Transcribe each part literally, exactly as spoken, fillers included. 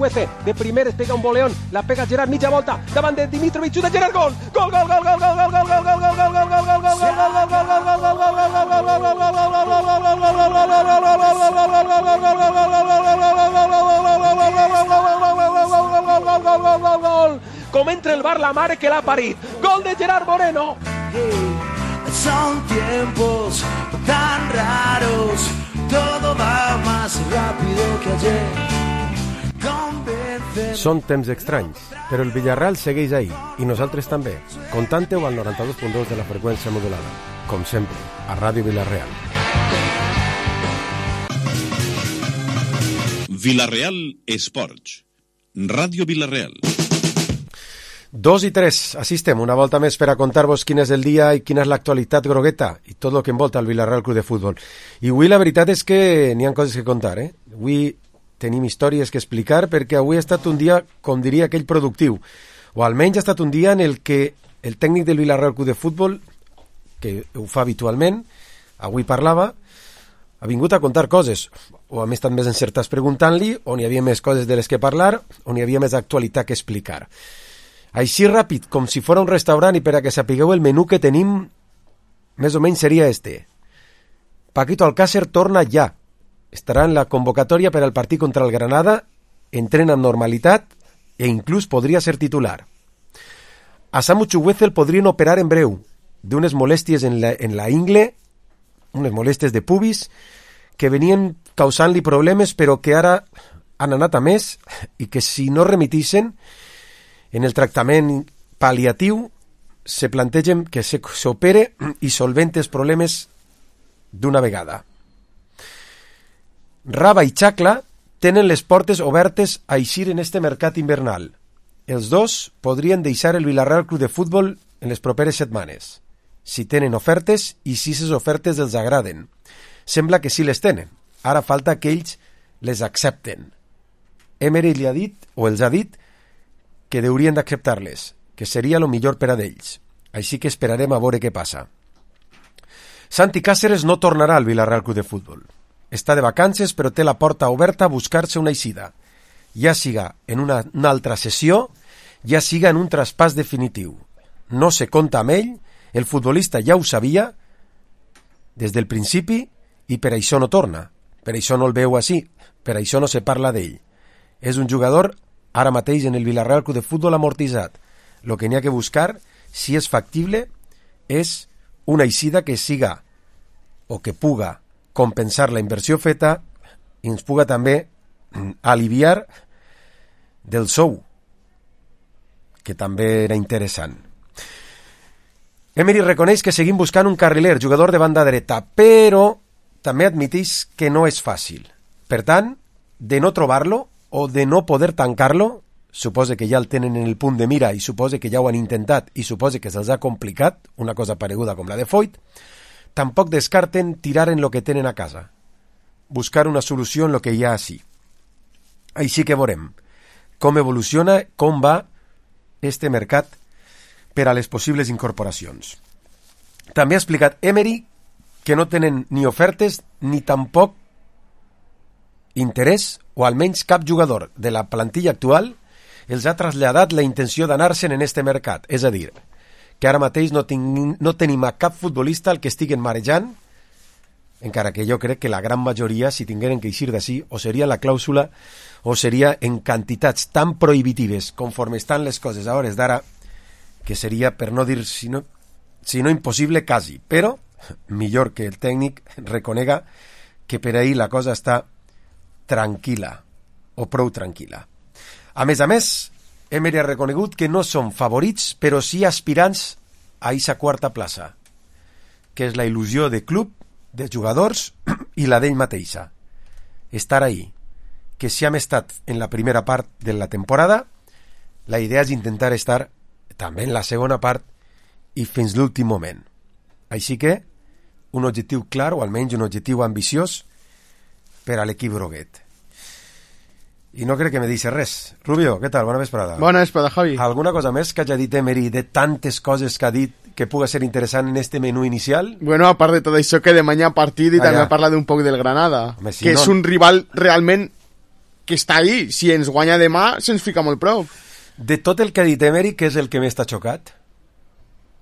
Chukwueze, de primeres pega un boleón, la pega Gerard, mitja volta, davant de Dimitrovic, xuta Gerard, gol! Gol, gol, gol, gol, gol, gol, gol, gol, gol, gol, gol, gol, gol, gol, com entra el bar la mare que l'ha parit, gol de Gerard Moreno. Son tiempos tan raros, todo va más rápido que ayer. Convencer... Són temps estranys, però el Villarreal segueix ahí, i nosaltres també. Contante-ho al noranta-dos punt dos de la freqüència modulada. Com sempre, a Ràdio Villarreal. Villarreal Esports. Ràdio Villarreal. Dos i tres, així estem, una volta més per a contar-vos quin és el dia i quina és l'actualitat grogueta i tot el que envolta el Villarreal Club de Futbol. I avui la veritat és que n'hi ha coses que contar, eh? Avui tenim històries que explicar perquè avui ha estat un dia, com diria aquell, productiu, o almenys ha estat un dia en el que el tècnic del Villarreal Club de Futbol, que ho fa habitualment, avui parlava, ha vingut a contar coses, o hem estat més encertats preguntant-li, on hi havia més coses de les que parlar, on hi havia més actualitat que explicar. Així ràpid, com si fos un restaurant, i per a que sapigueu el menú que tenim, més o menys seria este. Paquito Alcácer torna ja. Estarà en la convocatòria per al partit contra el Granada, entrena amb normalitat e inclús podria ser titular. A Samu Chukwueze el podrien operar en breu, d'unes molèsties en la, en la ingle, unes molèsties de pubis, que venien causant-li problemes, però que ara han anat a més, i que si no remitixen, en el tractament pal·liatiu se plantegen que s'opere i solvente els problemes d'una vegada. Raba i Xacla tenen les portes obertes a eixir en este mercat invernal. Els dos podrien deixar el Villarreal Club de Futbol en les properes setmanes, si tenen ofertes i si les ofertes els agraden. Sembla que sí les tenen. Ara falta que ells les accepten. Emery li ha dit, o els ha dit, que haurien d'acceptar-les, que seria el millor per a d'ells. Així que esperarem a veure què passa. Santi Cáceres no tornarà al Villarreal Club de Futbol. Està de vacances, però té la porta oberta a buscar-se una eixida, ja siga en una, una altra sessió, ja siga en un traspàs definitiu. No se compta amb ell, el futbolista ja ho sabia des del principi i per això no torna. Per això no el veu així, per això no se parla d'ell. És un jugador ara mateix en el Villarreal Club de Futbol amortitzat. El que n'hi ha que buscar, si és factible, és una eixida que siga o que puga compensar la inversió feta i ens puga també aliviar del sou, que també era interessant. Emery reconeix que seguim buscant un carriler, jugador de banda dreta, però també admiteix que no és fàcil. Per tant, de no trobar-lo o de no poder tancar-lo, suposa que ja el tenen en el punt de mira i suposa que ja ho han intentat i suposa que se'ls ha complicat, una cosa pareguda com la de Foyt, tampoc descarten tirar en lo que tenen a casa, buscar una solució en lo que hi ha així. Així que veurem com evoluciona, com va este mercat per a les possibles incorporacions. També ha explicat Emery que no tenen ni ofertes ni tampoc interès, o almenys cap jugador de la plantilla actual els ha traslladat la intenció d'anar-se'n en este mercat. És a dir, que ara mateix no, tinc, no tenim a cap futbolista al que estiguen marejant, encara que jo crec que la gran majoria, si tingueren que eixir d'ací, o seria la clàusula o seria en quantitats tan prohibitives conforme estan les coses a hores d'ara, que seria, per no dir si no, si no impossible, quasi. Però millor que el tècnic reconega que per ahir la cosa està tranquil·la, o prou tranquil·la. A més a més, Emery ha reconegut que no són favorits, però sí aspirants a aquesta quarta plaça, que és la il·lusió de club, de jugadors i la d'ell mateixa. Estar ahí, que si hem estat en la primera part de la temporada, la idea és intentar estar també en la segona part i fins l'últim moment. Així que, un objectiu clar, o almenys un objectiu ambiciós, per a l'equip groguet. I no crec que me deixi res. Rubio, què tal? Bona vesprada. Bona vesprada, Javi. Alguna cosa més que hagi dit Emery de tantes coses que ha dit que puga ser interessant en este menú inicial? Bueno, a part de tot això, que demà hi ha partit i ah, també ja. parla d'un poc del Granada, Home, si que no... és un rival realment que està ahí. Si ens guanya demà, se'ns fica molt prou. De tot el que ha dit Emery, què és el que més t'ha xocat?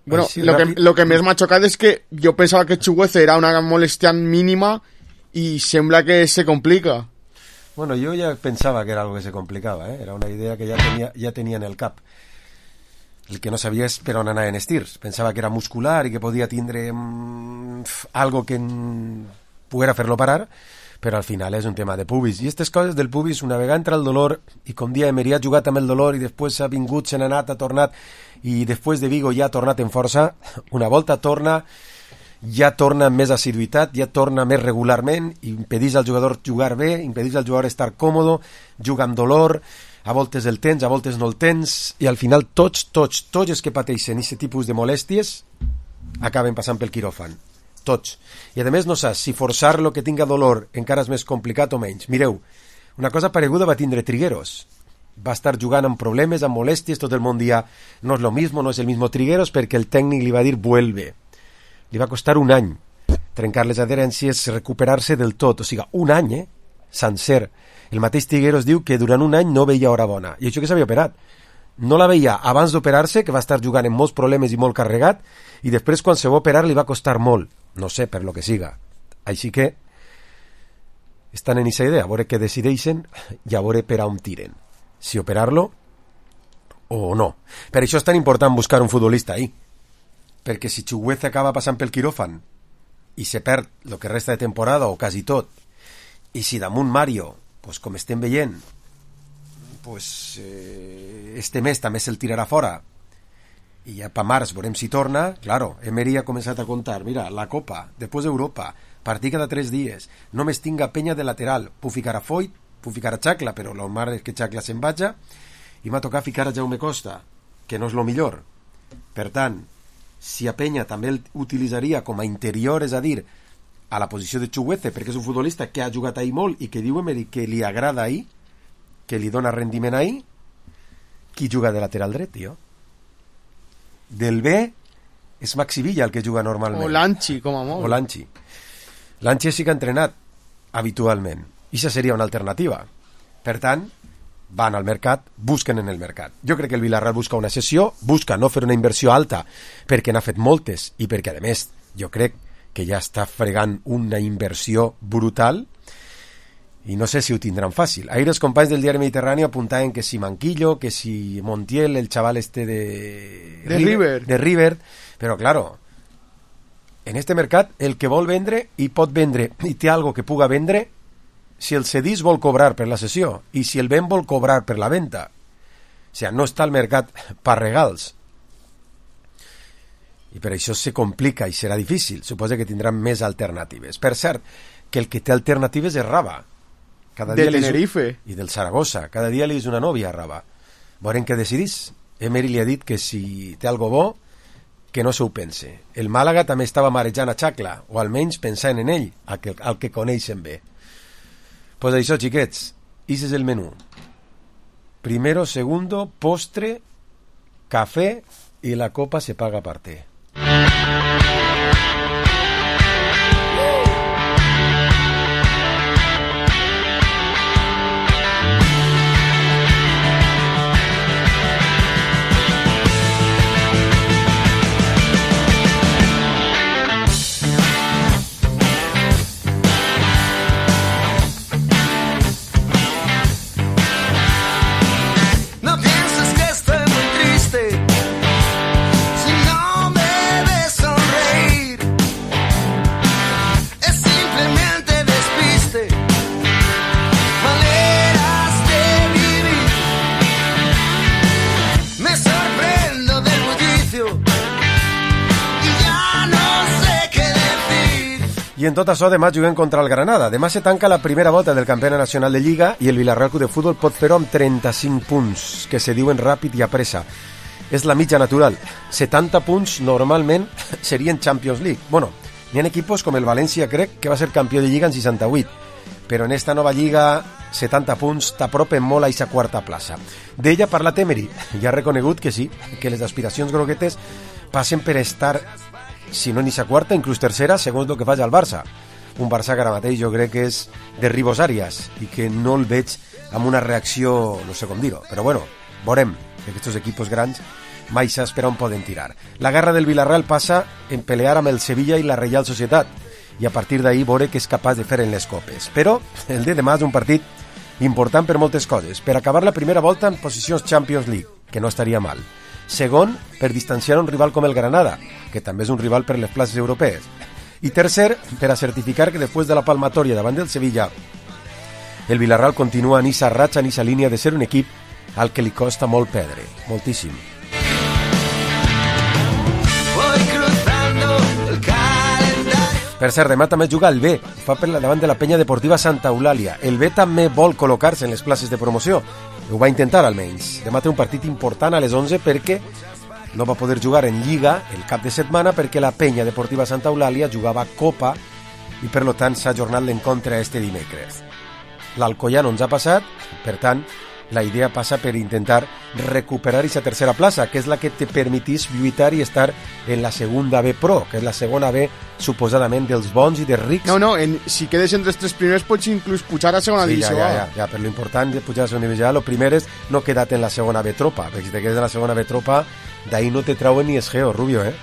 Bueno, Així, lo que, ràpid. lo que més m'ha xocat és que jo pensava que Chukwueze era una molèstia mínima i sembla que se complica. Bueno, jo ja pensava que era algo que se complicava, ¿eh? Era una idea que ja tenia, ja tenia en el cap. El que no sabia és per on anaven els tirs. Pensava que era muscular i que podia tindre mm, algo que mm, poguera fer-lo parar, però al final és un tema de pubis. I aquestes coses del pubis, una vegada entra el dolor, i com dia Emery ha jugat amb el dolor i després ha vingut, se n'ha anat, ha tornat, i després de Vigo ja ha tornat en força, una volta torna, ja torna amb més assiduïtat, ja torna més regularment, i impedís al jugador jugar bé, impedís al jugador estar còmode, juga amb dolor, a voltes el tens, a voltes no el tens, i al final tots, tots, tots els que pateixen aquest tipus de molèsties acaben passant pel quiròfan. Tots. I a més no saps si forçar-lo que tinga dolor encara és més complicat o menys. Mireu, una cosa pareguda va tindre Trigueros. Va estar jugant amb problemes, amb molèsties, tot el món dia no és lo mismo, no és el mismo Trigueros, perquè el tècnic li va dir vuelve. Li va costar un any trencar les adherències, recuperar-se del tot, o sigui, un any, eh? Sencer. El mateix Trigueros diu que durant un any no veia hora bona, i això que s'havia operat. No la veia abans d'operar-se, que va estar jugant amb molts problemes i molt carregat, i després quan se va operar li va costar molt, no sé, per lo que siga. Així que estan en aquesta idea, a veure què decideixen i a veure per on tiren, si operar-lo o no. Per això és tan important buscar un futbolista ahí, perquè si Chukwueze acaba passant pel quiròfan i se perd el que resta de temporada o quasi tot, i si damunt Mario, pues, com estem veient, pues, eh, este mes també se'l tirarà fora i ja pa març veurem si torna. Claro, Emery ha començat a contar, mira, la Copa, després Europa, partir cada tres dies, només tinga penya de lateral, puc ficar a Foyt, puc ficar a Chacla, però lo mar és que Chacla se'n vaja, i m'ha tocat ficar a Jaume Costa, que no és lo millor. Per tant, si a Penya també el utilitzaria com a interior, és a dir, a la posició de Chukwueze, perquè és un futbolista que ha jugat ahí molt i que diu Emery que li agrada ahí, que li dona rendiment ahí, qui juga de lateral dret, tio? Del B és Maxi Villa el que juga normalment. O Lanchi, com a molt. O Lanchi. Lanchi sí que ha entrenat habitualment. I això seria una alternativa. Per tant, van al mercat, busquen en el mercat. Jo crec que el Villarreal busca una cessió, busca no fer una inversió alta perquè n'ha fet moltes i perquè, a més, jo crec que ja està fregant una inversió brutal i no sé si ho tindran fàcil. Ahir els companys del diari Mediterrani apuntaven que si Manquillo, que si Montiel, el xaval este de... De River. De River, però claro, en este mercat el que vol vendre i pot vendre i té algo que puga vendre, si el cedís vol cobrar per la cessió i si el ven vol cobrar per la venda. O sigui, no està al mercat per regals. I per això se complica i serà difícil. Suposa que tindran més alternatives. Per cert, que el que té alternatives és Raba. Cada de dia Tenerife. I del Zaragoza. Cada dia li és una nòvia a Raba. Veurem què decidís. Emery li ha dit que si té algo bo, que no se ho pense. El Màlaga també estava marejant a Chacla, o almenys pensant en ell, al que, al que coneixen bé. Pues això, xiquets, ese és el menú. Primero, segundo, postre, café y la copa se paga aparte. I en tot això, demà juguem contra el Granada. Demà se tanca la primera volta del campionat nacional de Lliga i el Villarreal Club de Futbol pot fer-ho amb trenta-cinc punts, que se diuen ràpid i a pressa. És la mitja natural. setanta punts normalment serien Champions League. Bueno, n'hi ha equipos com el València, crec, que va ser campió de Lliga en seixanta-vuit. Però en esta nova Lliga, setanta punts t'apropen molt a aquesta quarta plaça. D'ella ha parlat Emery i ha reconegut que sí, que les aspiracions groguetes passen per estar, si no en aquesta quarta, inclús tercera, segons el que faci el Barça. Un Barça que ara mateix jo crec que és de Ribos Àrias i que no el veig amb una reacció, no sé com dir-ho, però bueno, veurem que aquests equipos grans mai saps per on poden tirar. La guerra del Villarreal passa en pelear amb el Sevilla i la Reial Societat, i a partir d'ahir veure què és capaç de fer en les copes. Però el de demà és un partit important per moltes coses. Per acabar la primera volta en posicions Champions League, que no estaria mal. Segon, per distanciar un rival com el Granada, que també és un rival per les places europees. I tercer, per a certificar que després de la palmatòria davant del Sevilla, el Villarreal continua en esa ratxa, en esa línia de ser un equip al que li costa molt perdre, moltíssim. Per cert, demà també juga el B, fa per la davant de la penya deportiva Santa Eulàlia. El B també vol col·locar-se en les places de promoció, ho va intentar almenys. Demà té un partit important a les onze perquè no va poder jugar en Lliga el cap de setmana perquè la penya deportiva Santa Eulàlia jugava Copa i per tant s'ha ajornat l'encontre este dimecres. L'Alcoyà no ens ha passat, per tant, la idea passa per intentar recuperar aquesta tercera plaça, que és la que te permetís lluitar i estar en la segunda B Pro, que és la segona B suposadament dels bons i dels rics. No, no, en, si quedes entre els tres primers pots inclús pujar a segona sí, divisió. Ja, ja, ja, ja, però l'important de pujar a segona divisió, lo primer és no quedar en la segona B Tropa, perquè si te quedes en la segona B Tropa, d'ahí no te trauen ni esgeo, Rubio, eh?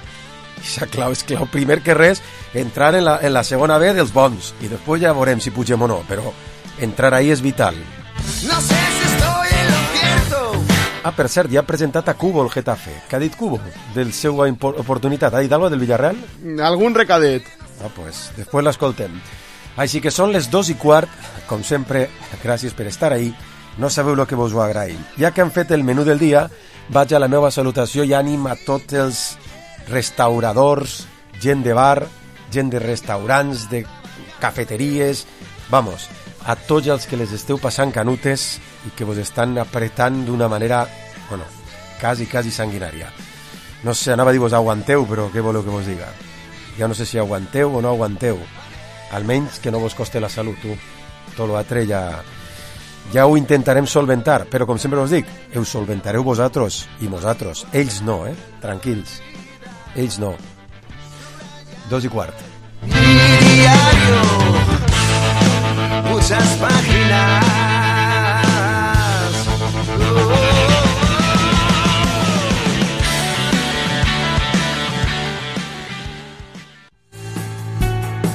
Ixa clau és clau. Primer que res, entrar en la, en la segona B dels bons, i després ja veurem si pugem o no, però entrar ahí és vital. No sé si estoy en lo cierto. Ah, per cert, ja ha presentat a Cubo el Getafe. Què ha dit Cubo del seva oportunitat? Ha dit alguna del Villarreal? Algun recadet. Ah, pues, després l'escoltem. Així que són les dos i quart, com sempre, gràcies per estar ahí. No sabeu el que vos ho agraïm. Ja que han fet el menú del dia, vaig a la meva salutació i ànim a tots els restauradors, gent de bar, gent de restaurants, de cafeteries, vamos, a tots els que les esteu passant canutes i que vos estan apretant d'una manera, bueno, quasi, quasi sanguinària. No sé, anava a dir vos aguanteu, però què voleu que vos diga? Ja no sé si aguanteu o no aguanteu. Almenys que no vos coste la salut, tu. Tot l'altre ja... Ja ho intentarem solventar, però com sempre us dic, ho solventareu vosaltres i nosaltres. Ells no, eh? Tranquils. Ells no. Dos i quart. Mi diario, muchas páginas.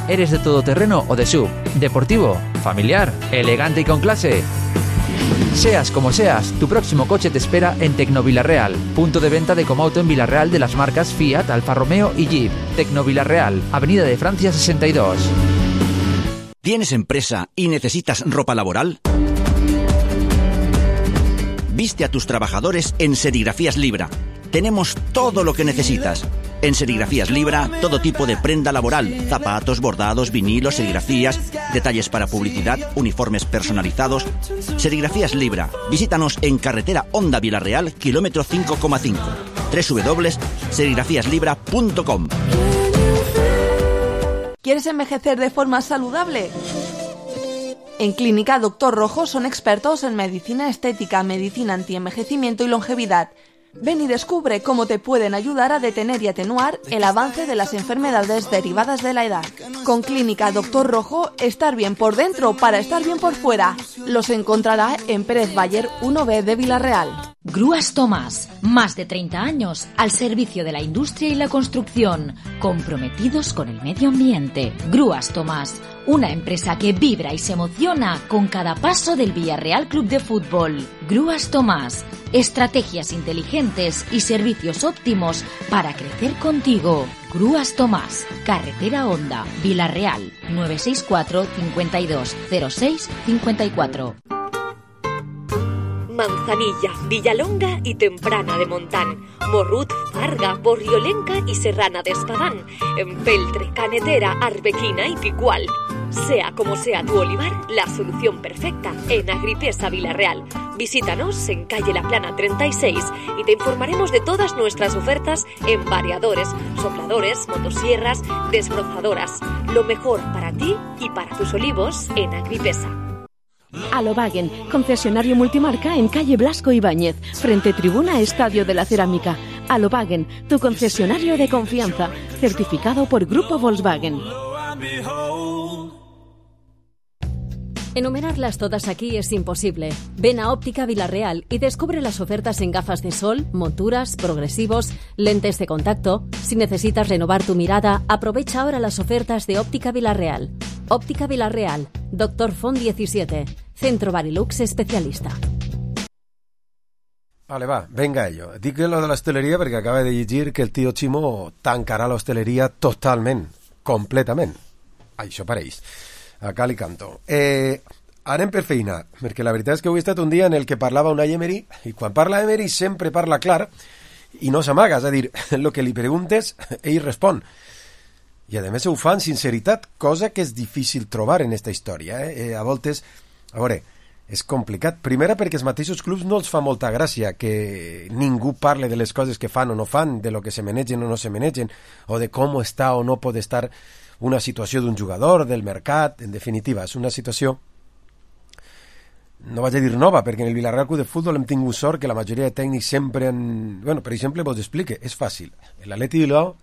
¿Eres de todoterreno o de sub? ¿Deportivo? ¿Familiar? ¿Elegante y con clase? Seas como seas, tu próximo coche te espera en Tecnovilarreal, punto de venta de Comauto en Villarreal de las marcas Fiat, Alfa Romeo y Jeep. Tecnovilarreal, Avenida de Francia sesenta y dos. ¿Tienes empresa y necesitas ropa laboral? Viste a tus trabajadores en Serigrafías Libra. Tenemos todo lo que necesitas. En Serigrafías Libra, todo tipo de prenda laboral, zapatos, bordados, vinilos, serigrafías, detalles para publicidad, uniformes personalizados. Serigrafías Libra. Visítanos en carretera Honda Villarreal, kilómetro cinco coma cinco. doble u doble u doble u punto serigrafías libra punto com. ¿Quieres envejecer de forma saludable? En Clínica Doctor Rojo son expertos en medicina estética, medicina antienvejecimiento y longevidad. Ven y descubre cómo te pueden ayudar a detener y atenuar el avance de las enfermedades derivadas de la edad. Con Clínica Doctor Rojo, estar bien por dentro para estar bien por fuera. Los encontrará en Pérez Bayer uno B de Villarreal. Grúas Tomás, más de treinta años al servicio de la industria y la construcción, comprometidos con el medio ambiente. Grúas Tomás, una empresa que vibra y se emociona con cada paso del Villarreal Club de Fútbol. Grúas Tomás, estrategias inteligentes y servicios óptimos para crecer contigo. Grúas Tomás, Carretera Honda, Villarreal, nueve seis cuatro, cincuenta y dos, cero seis, cincuenta y cuatro. Manzanilla, Villalonga y Temprana de Montán, Morrut, Farga, Borriolenca y Serrana de Espadán, Empeltre, Canetera, Arbequina y Picual. Sea como sea tu olivar, la solución perfecta en Agripesa Villarreal. Visítanos en calle La Plana treinta y seis y te informaremos de todas nuestras ofertas en variadores, sopladores, motosierras, desbrozadoras. Lo mejor para ti y para tus olivos en Agripesa. Alobagen, concesionario multimarca en calle Blasco Ibáñez, frente tribuna Estadio de la Cerámica. Alobagen, tu concesionario de confianza, certificado por Grupo Volkswagen. Enumerarlas todas aquí es imposible. Ven a Óptica Vilarreal y descubre las ofertas en gafas de sol, monturas, progresivos, lentes de contacto. Si necesitas renovar tu mirada, aprovecha ahora las ofertas de Óptica Vilarreal. Óptica Vilarreal, Doctor Font diecisiete, Centro Barilux especialista. Vale, va, venga ello. Dic lo de l'hostaleria perquè acaba de llegir que el tio Ximo tancarà l'hostaleria totalment, completament. Això pareix. A cal i canto. Eh, anem per feina, perquè la veritat és que avui ha estat un dia en el que parlava una Emery, i quan parla Emery sempre parla clar i no s'amaga, és a dir, el que li preguntes, ell respon. I a més ho fa amb sinceritat, cosa que és difícil trobar en esta història. Eh? Eh, a voltes, a veure, és complicat. Primera perquè els mateixos clubs no els fa molta gràcia que ningú parle de les coses que fan o no fan, de lo que se manegen o no se manegen, o de com està o no pot estar una situació d'un jugador, del mercat, en definitiva, és una situació, no vaig a dir nova, perquè en el Villarreal Club de Futbol hem tingut sort que la majoria de tècnics sempre han... Bueno, per exemple, vos explique, és fàcil. L'Atleti Bilbao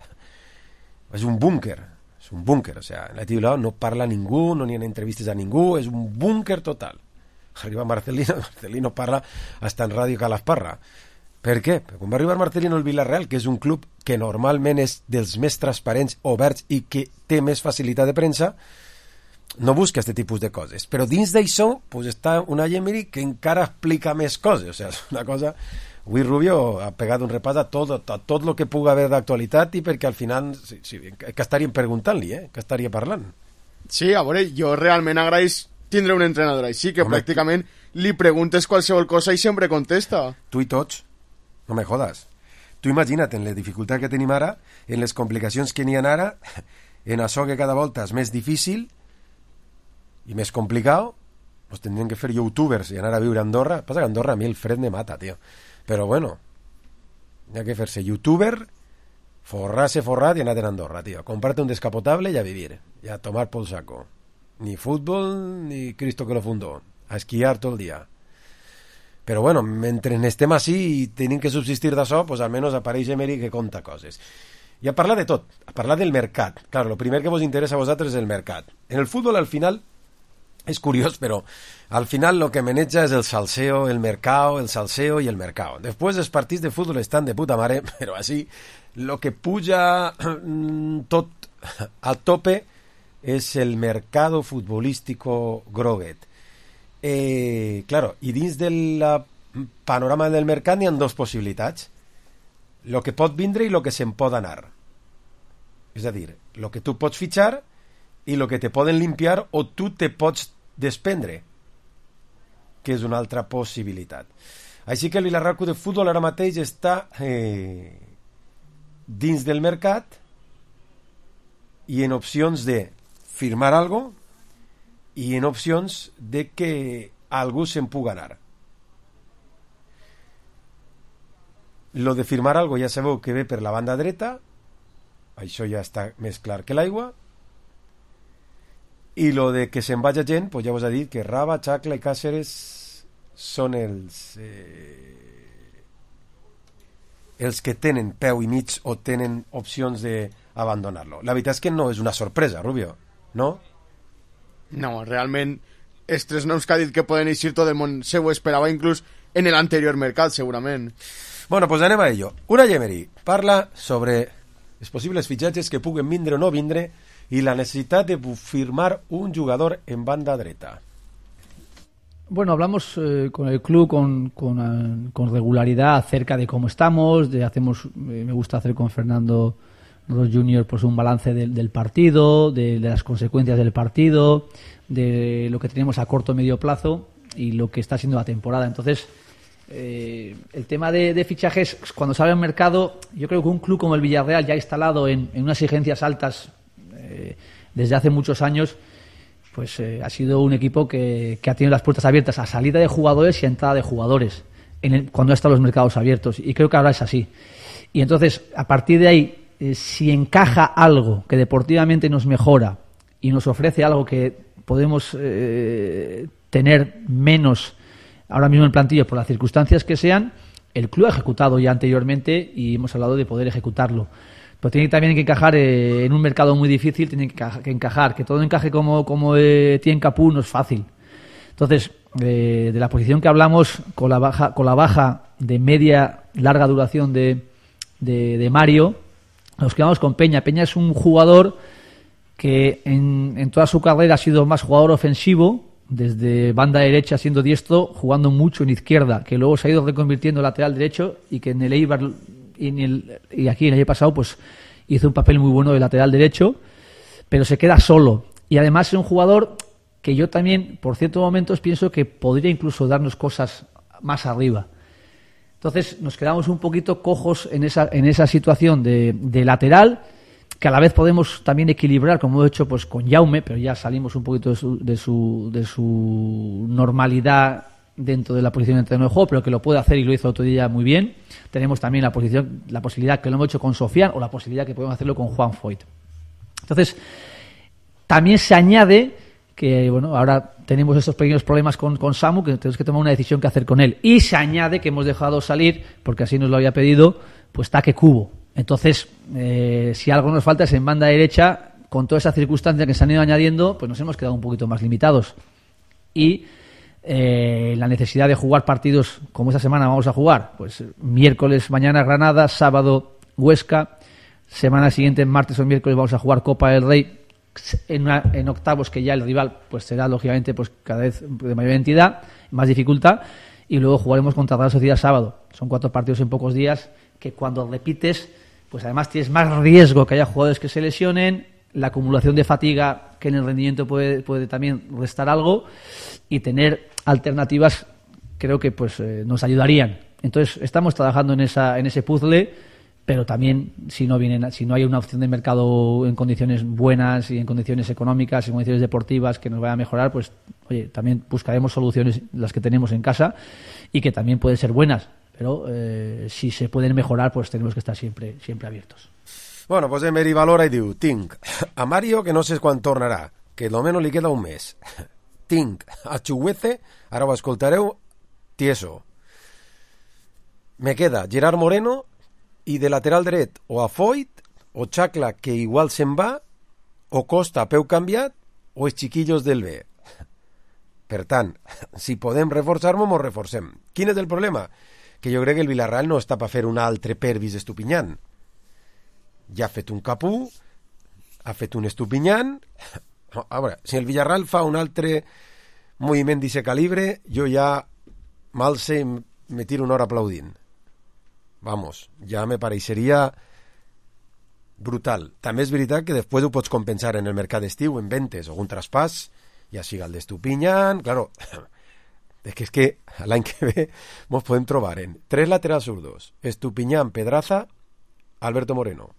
és un búnquer, és un búnquer, o sea, l'Atleti Bilbao no parla a ningú, no n'hi ha entrevistes a ningú, és un búnquer total. Arriba Marcelino, Marcelino parla hasta en Ràdio Calasparra. Per què? Perquè quan va arribar Marcelino al Villarreal, que és un club que normalment és dels més transparents, oberts i que té més facilitat de premsa, no busca aquest tipus de coses. Però dins d'això pues, està una Emery que encara explica més coses. O sigui, és una cosa... Avui Rubio ha pegat un repàs a tot, a tot el que pugui haver d'actualitat i perquè al final, sí, sí, que estaríem preguntant-li, eh? Que estaria parlant. Sí, a veure, jo realment agraeix tindre un entrenador així, que Home, pràcticament li preguntes qualsevol cosa i sempre contesta. Tu i tots. No me jodas. Tu imagina't en la dificultat que tenim ara, en les complicacions que n'hi ha ara, en això que cada volta és més difícil i més complicat, pues tindrien que fer youtubers i anar a viure a Andorra. Passa que a Andorra a mi el fred me mata, tio. Però bueno, hi ha que fer-se youtuber, forrar-se forrat i anar a Andorra, tio. Comprarte un descapotable i a vivir. I a tomar por saco. Ni fútbol, ni Cristo que lo fundó. A esquiar tot el dia. Però bueno, mentre estem així i tenim que subsistir d'això, pues almenys apareix Emery que conta coses. I a parlar de tot, a parlar del mercat. Claro, el primer que vos interessa a vosaltres és el mercat. En el futbol, al final, és curiós, però al final lo que maneja és el salseo, el mercado, el salseo i el mercado. Després els partits de futbol estan de puta mare, però així, lo que puja tot al tope és el mercado futbolístico groguet. Eh, claro, i dins del panorama del mercat n'hi ha dues possibilitats, lo que pot vindre i lo que se'n pot anar, és a dir, lo que tu pots fitxar i lo que te poden limpiar o tu te pots desprendre, que és una altra possibilitat. Així que el Villarreal Club de Futbol ara mateix està eh, dins del mercat i en opcions de firmar algo i en opcions de que algú se'n pugui anar. Lo de firmar algo ja sabeu que ve per la banda dreta, això ja està més clar que l'aigua, i lo de que se'n vagi gent, pues ja vos ha dit que Raba, Chacla i Cáceres són els eh, els que tenen peu i mig o tenen opcions d'abandonar-lo. La veritat és que no és una sorpresa, Rubio, no? No, realment els tres noms que ha dit que poden eixir tot el món se ho esperava inclús en l'anterior mercat, segurament. Bueno, pues anem a ello. Una Emery parla sobre els possibles fitxatges que puguen vindre o no vindre y la necesidad de firmar un jugador en banda dreta. Bueno, hablamos eh, con el club con, con, uh, con regularidad acerca de cómo estamos, de hacemos, eh, me gusta hacer con Fernando Ross junior pues un balance del, del partido, de, de las consecuencias del partido, de lo que tenemos a corto o medio plazo y lo que está siendo la temporada. Entonces, eh, el tema de, de fichajes, cuando sale al mercado, yo creo que un club como el Villarreal, ya instalado en, en unas exigencias altas eh, desde hace muchos años, pues eh, ha sido un equipo que, que ha tenido las puertas abiertas a salida de jugadores y a entrada de jugadores en el, cuando han estado los mercados abiertos, y creo que ahora es así. Y entonces, a partir de ahí, eh, si encaja algo que deportivamente nos mejora y nos ofrece algo que podemos eh, tener menos ahora mismo en plantilla por las circunstancias que sean, el club ha ejecutado ya anteriormente y hemos hablado de poder ejecutarlo. Pero tiene también que encajar eh, en un mercado muy difícil, tiene que, que encajar, que todo encaje como, como eh, tiene Capú no es fácil. Entonces, eh, de la posición que hablamos, con la baja, con la baja de media larga duración de, de, de Mario, nos quedamos con Peña. Peña es un jugador que en, en toda su carrera ha sido más jugador ofensivo, desde banda derecha siendo diestro, jugando mucho en izquierda, que luego se ha ido reconvirtiendo en lateral derecho y que en el Eibar y, en el, y aquí el año pasado pues hizo un papel muy bueno de lateral derecho, pero se queda solo. Y además es un jugador que yo también, por ciertos momentos, pienso que podría incluso darnos cosas más arriba. Entonces nos quedamos un poquito cojos en esa, en esa situación de, de lateral, que a la vez podemos también equilibrar, como he hecho pues con Jaume, pero ya salimos un poquito de su, de su, de su normalidad dentro de la posición de terreno de juego, pero que lo puede hacer y lo hizo el otro día muy bien. Tenemos también la posición, la posibilidad que lo hemos hecho con Sofian o la posibilidad que podemos hacerlo con Juan Foyt. Entonces, también se añade que, bueno, ahora tenemos estos pequeños problemas con, con Samu, que tenemos que tomar una decisión que hacer con él. Y se añade que hemos dejado salir, porque así nos lo había pedido, pues Taque Cubo. Entonces, eh, si algo nos falta es en banda derecha, con todas esas circunstancias que se han ido añadiendo, pues nos hemos quedado un poquito más limitados. Y eh, la necesidad de jugar partidos como esta semana vamos a jugar, pues miércoles mañana Granada, sábado Huesca, semana siguiente martes o miércoles vamos a jugar Copa del Rey en, una, en octavos, que ya el rival pues será lógicamente pues cada vez de mayor entidad, más dificultad, y luego jugaremos contra Real Sociedad sábado. Son cuatro partidos en pocos días que cuando repites, pues además tienes más riesgo que haya jugadores que se lesionen, la acumulación de fatiga que en el rendimiento puede, puede también restar algo, y tener alternativas creo que pues eh, nos ayudarían. Entonces estamos trabajando en esa en ese puzzle, pero también si no vienen, si no hay una opción de mercado en condiciones buenas y en condiciones económicas y en condiciones deportivas que nos vaya a mejorar, pues oye, también buscaremos soluciones, las que tenemos en casa, y que también pueden ser buenas. Pero eh, si se pueden mejorar, pues tenemos que estar siempre siempre abiertos. Bueno, pues Emery valora i diu: tinc a Mario, que no sé quan tornarà, que almenys li queda un mes. Tinc a Chuguece, ara ho escoltareu, tieso. Me queda Gerard Moreno, i de lateral dret o a Foyt, o Chacla, que igual se'n va, o Costa a peu canviat, o els chiquillos del B. Per tant, si podem reforçar-nos, mos reforcem. Quin és el problema? Que jo crec que el Villarreal no està per fer un altre Pervis Estupinyan. Ja ha fet un Capú, ha fet un Estupinyan. A veure, si el Villarreal fa un altre moviment d'aquest calibre, jo ja m'alce i me tiro una hora aplaudint. Vamos, ja me pareixeria brutal. També és veritat que després ho pots compensar en el mercat d'estiu, en ventes o un traspàs, ja siga el d'Estupinyan, claro. Es que es que l'any que ve ens podem trobar en tres laterals zurdos, Estupinyan, Pedraza, Alberto Moreno,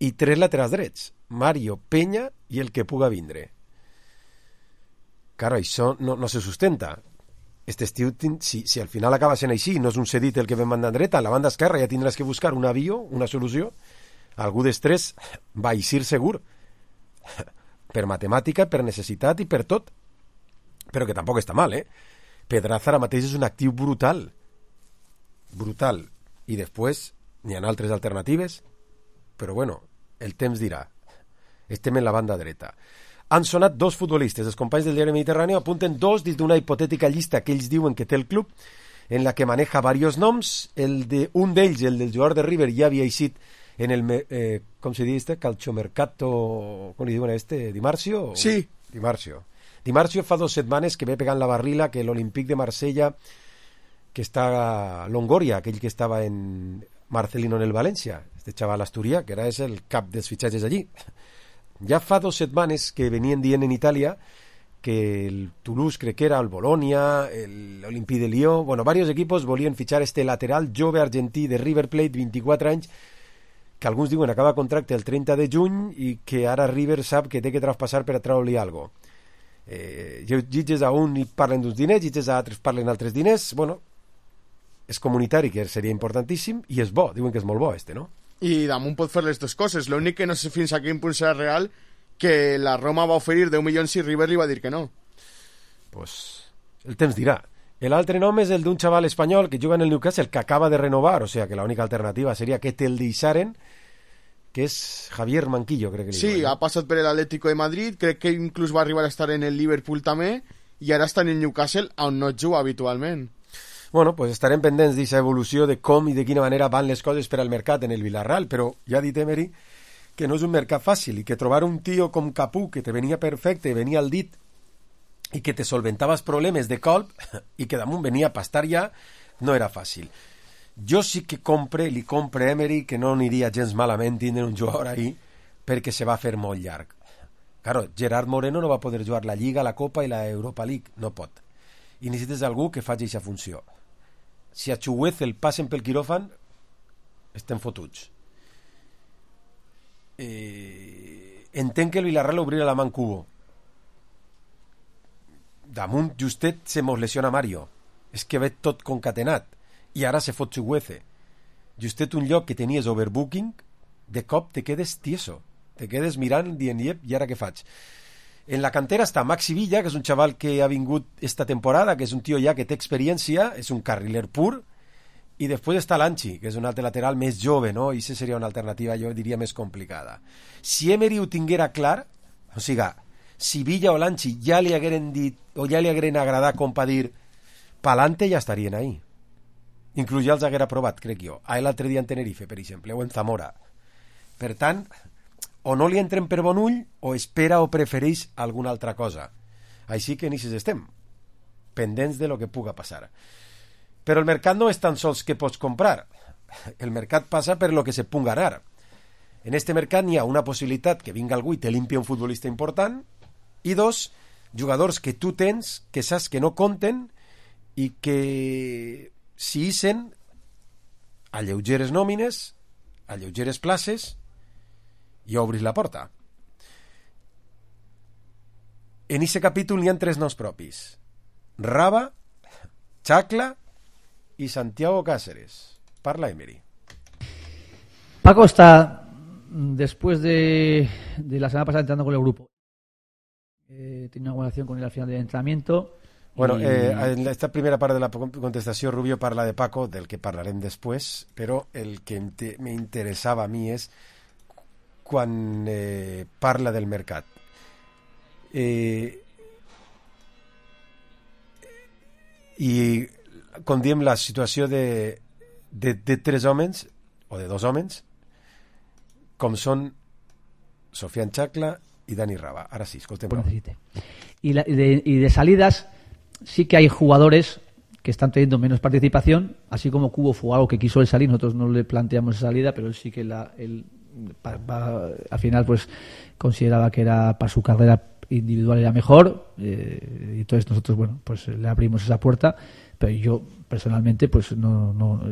i tres laterals drets, Mario, Peña i el que puga vindre. Claro, això no, no se sustenta. Este estiu, si, si al final acaba sent així, no és un cedit el que ven banda dreta, en la banda esquerra ja tindràs que buscar un avió, una solució. Algú d'estrès va eixir segur, per matemàtica, per necessitat i per tot. Però que tampoc està mal, eh? Pedraza ara mateix és un actiu brutal. Brutal. I després n'hi ha altres alternatives, però bueno, el temps dirà. Estem en la banda dreta. Han sonat dos futbolistes. Els companys del diari Mediterrani apunten dos dins d'una hipotètica llista que ells diuen que té el club, en la que maneja varios noms. El de, un d'ells, el del jugador de River, ja havia eixit en el, eh, com se diu este? Calciomercato, com li diuen a este? Dimarcio? Sí. Dimarcio. Dimarcio fa dos setmanes que ve pegant la barrila que l'Olímpic de Marsella, que està a Longoria, aquell que estava en Marcelino en el València, este xaval asturià, que era és el cap dels fitxatges allí. Ja fa dos setmanes que venien dient en Itàlia que el Toulouse, crec que era el Bolonia, l'Olympique de Lió, bueno, varios equipos volien fitxar este lateral jove argentí de River Plate, vint-i-quatre anys, que alguns diuen acaba contracte el trenta de juny i que ara River sap que té que traspassar per a treure-li alguna cosa. Eh, llitges a un i parlen d'uns diners, llitges a altres parlen d'altres diners. Bueno, és comunitari, que seria importantíssim, i és bo, diuen que és molt bo este, no? I damunt pot fer les dues coses. L'únic que no sé fins a quin punt serà real, que la Roma va oferir deu milions i River li va dir que no. Pues el temps dirà. L'altre nom és el d'un xaval espanyol que juga en el Newcastle, que acaba de renovar, o sea que l'única alternativa seria que te'l deixaren, que és Javier Manquillo, crec que li Sí, diuen, ha passat per l'Atlético de Madrid, crec que inclús va arribar a estar en el Liverpool també, i ara estan en Newcastle, on no juga habitualment. Bueno, pues estarem pendents d'aquesta evolució de com i de quina manera van les coses per al mercat en el Villarreal, però ja ha dit Emery que no és un mercat fàcil i que trobar un tio com Capú, que te venia perfecte, venia al dit i que te solventava els problemes de colp i que damunt venia a pastar ja, no era fàcil. Jo sí que compre, li compre Emery que no aniria gens malament tindre un jugador ahí perquè se va fer molt llarg. Claro, Gerard Moreno no va poder jugar la Lliga, la Copa i la Europa League, no pot. I necessites algú que faci aquesta funció. Si a Chuguez el passen pel quiròfan, estem fotuts. Eh, entenc que el Villarreal obrirà la mà en Cubo. Damunt justet se mos lesiona Mario. És que ve tot concatenat. I ara se fot Chugueze. Justet un lloc que tenies overbooking, de cop te quedes tieso. Te quedes mirant, dient, iep, i ara què faig? En la cantera està Maxi Villa, que és un xaval que ha vingut esta temporada, que és un tio ja que té experiència, és un carriler pur, i després està l'Anchi, que és un altre lateral més jove, no? I això seria una alternativa, jo diria, més complicada. Si Emery ho tinguera clar, o sigui, si Villa o l'Anchi ja li hagueren dit, o ja li hagueren agradat com per dir, pa'lante ja estarien ahí. Inclús ja els haguera provat, crec jo. A l'altre dia en Tenerife, per exemple, o en Zamora. Per tant, o no li entren per bon ull, o espera o prefereix alguna altra cosa. Així que ni si estem, pendents de lo que puga passar. Però el mercat no és tan sols que pots comprar. El mercat passa per lo que se punga anar. En este mercat n'hi ha una possibilitat que vinga algú i te limpia un futbolista important, i dos, jugadors que tu tens, que saps que no compten, i que si hissen a lleugeres nòmines, a lleugeres places, i obris la porta. En aquest capítol n'hi ha tres noms propis. Raba, Chacla y Santiago Cáceres. Parla Emery. Paco está, después de, de la semana pasada, entrando con el grupo. Eh, tiene una buena acción con él al final del entrenamiento. Bueno, y... eh, en esta primera part de la contestació, Rubio parla de Paco, del que parlarem després, però el que m'interessava a mi és quan eh, parla del mercat. Eh, I quan diem la situació de, de, de tres homes, o de dos homes, com són Sofian Chacla y Dani Raba. Ahora sí, escoltem-lo. Y, la, y, de, y de salidas, sí que hay jugadores que están teniendo menos participación, así como Cubo fue algo que quiso él salir, nosotros no le planteamos esa salida, pero él sí que la, él, pa, pa, al final pues consideraba que era para su carrera individual era mejor, eh, y entonces nosotros bueno pues le abrimos esa puerta, pero yo personalmente pues no, no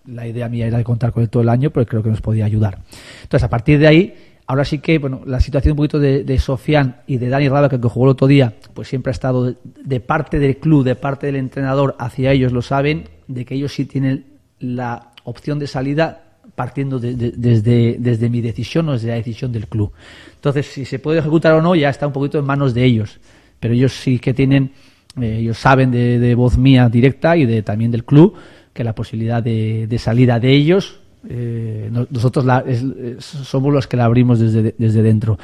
la idea mía era de contar con él todo el año, porque creo que nos podía ayudar. Entonces a partir de ahí, ahora sí que bueno la situación un poquito de, de Sofian y de Dani Raba, que jugó el otro día, pues siempre ha estado de, de parte del club, de parte del entrenador hacia ellos, lo saben, de que ellos sí tienen la opción de salida partiendo de, de, desde, desde mi decisión o desde la decisión del club. Entonces, si se puede ejecutar o no, ya está un poquito en manos de ellos. Pero ellos sí que tienen, eh, ellos saben de, de voz mía directa y de también del club, que la posibilidad de, de salida de ellos, eh, nosotros la, es, es, somos los que la abrimos desde, desde dentro.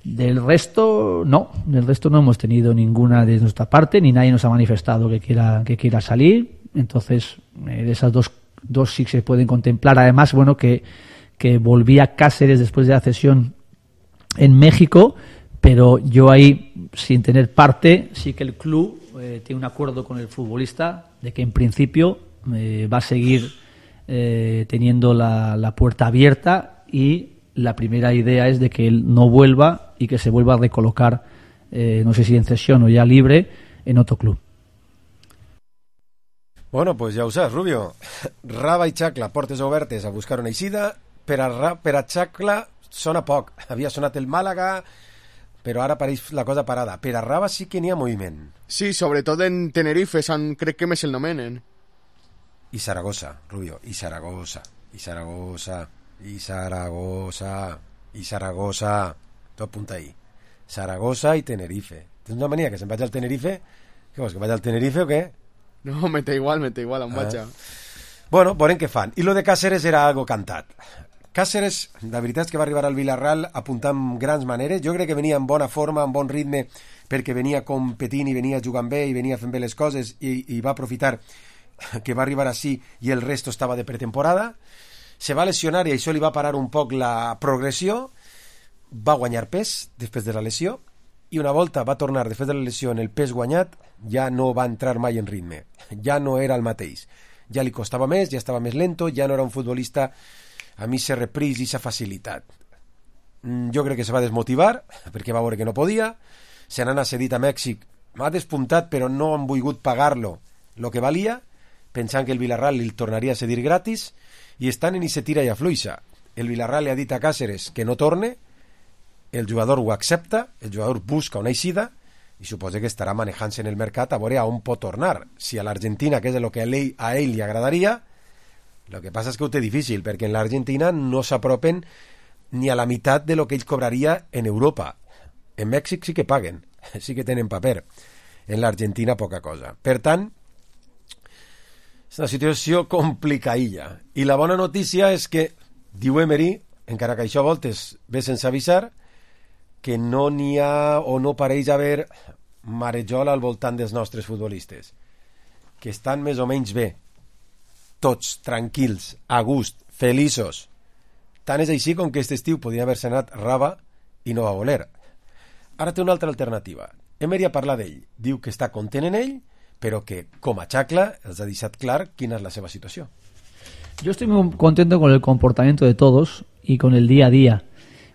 Del resto, no. Del resto no hemos tenido ninguna de nuestra parte, ni nadie nos ha manifestado que quiera, que quiera salir. Entonces, eh, de esas dos Dos sí se pueden contemplar. Además, bueno, que, que volvía Cáceres después de la cesión en México, pero yo ahí, sin tener parte, sí que el club eh, tiene un acuerdo con el futbolista de que en principio eh, va a seguir eh, teniendo la, la puerta abierta, y la primera idea es de que él no vuelva y que se vuelva a recolocar, eh, no sé si en cesión o ya libre, en otro club. Bueno, pues ja ho saps, Rubio. Raba i Chacla, portes obertes a buscar una eixida. Per a, Ra, per a Chacla sona poc. Havia sonat el Màlaga, però ara pareix la cosa parada. Per a Raba sí que n'hi ha moviment. Sí, sobretot en Tenerife, San, crec que més el nomenen. I Saragossa, Rubio, i Saragossa, i Saragossa, i Saragossa, i Saragossa. Tot apunta ahí. Saragossa i Tenerife. Tens una mania que se'n vaig al Tenerife? Què vols, que vaig al Tenerife o què? No, me da igual, me da igual, on vaig. Ah. Bueno, veurem què fan. I lo de Cáceres era algo cantat. Cáceres, la veritat és que va arribar al Villarreal apuntant amb grans maneres. Jo crec que venia en bona forma, en bon ritme, perquè venia competint i venia jugant bé i venia fent bé les coses i, i va aprofitar que va arribar així i el resto estava de pretemporada. Se va lesionar i això li va parar un poc la progressió. Va guanyar pes després de la lesió i una volta va tornar després de la lesió en el pes guanyat ja no va entrar mai en ritme, ja no era el mateix, ja li costava més, ja estava més lento, ja no era un futbolista amb esa repris i esa facilitat. Jo crec que se va desmotivar perquè va veure que no podia, se n'ha cedit a Mèxic, m'ha despuntat però no han volgut pagar-lo lo que valia, pensant que el Villarreal li tornaria a cedir gratis i estan en ese tira i afluixa. El Villarreal li ha dit a Cáceres que no torne, el jugador ho accepta, el jugador busca una eixida i suposa que estarà manejant-se en el mercat a veure a on pot tornar. Si a l'Argentina, que és el que a ell, a ell li agradaria, el que passa és que ho té difícil, perquè en l'Argentina no s'apropen ni a la meitat de lo que ell cobraria en Europa. En Mèxic sí que paguen, sí que tenen paper. En l'Argentina poca cosa. Per tant, és una situació complicadilla. I la bona notícia és que, diu Emery, encara que això a voltes ve sense avisar, que no n'hi ha o no pareix haver marejol al voltant dels nostres futbolistes, que estan més o menys bé, tots tranquils, a gust, feliços. Tant és així com que aquest estiu podria haver-se anat Raba i no va voler. Ara té una altra alternativa. Emery ha parlat d'ell, diu que està content en ell, però que, com a xacla, els ha deixat clar quina és la seva situació. Yo estoy muy contento con el comportamiento de todos y con el día a día.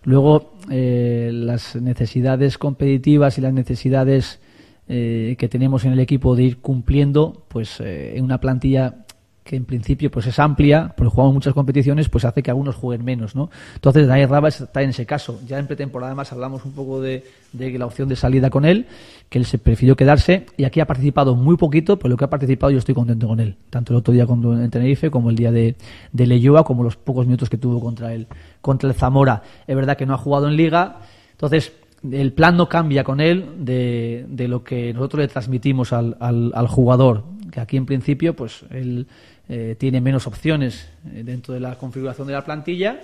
Luego, eh, las necesidades competitivas y las necesidades eh, que tenemos en el equipo de ir cumpliendo, pues eh, en una plantilla que en principio pues es amplia, porque jugamos muchas competiciones, pues hace que algunos jueguen menos, ¿no? Entonces Dani Raba está en ese caso. Ya en pretemporada además hablamos un poco de, de la opción de salida con él, que él se prefirió quedarse, y aquí ha participado muy poquito, pero lo que ha participado yo estoy contento con él, tanto el otro día con, en Tenerife como el día de, de Leyoa, como los pocos minutos que tuvo contra el, contra el Zamora. Es verdad que no ha jugado en Liga, entonces el plan no cambia con él de, de lo que nosotros le transmitimos al, al, al jugador, que aquí en principio pues él eh, tiene menos opciones dentro de la configuración de la plantilla,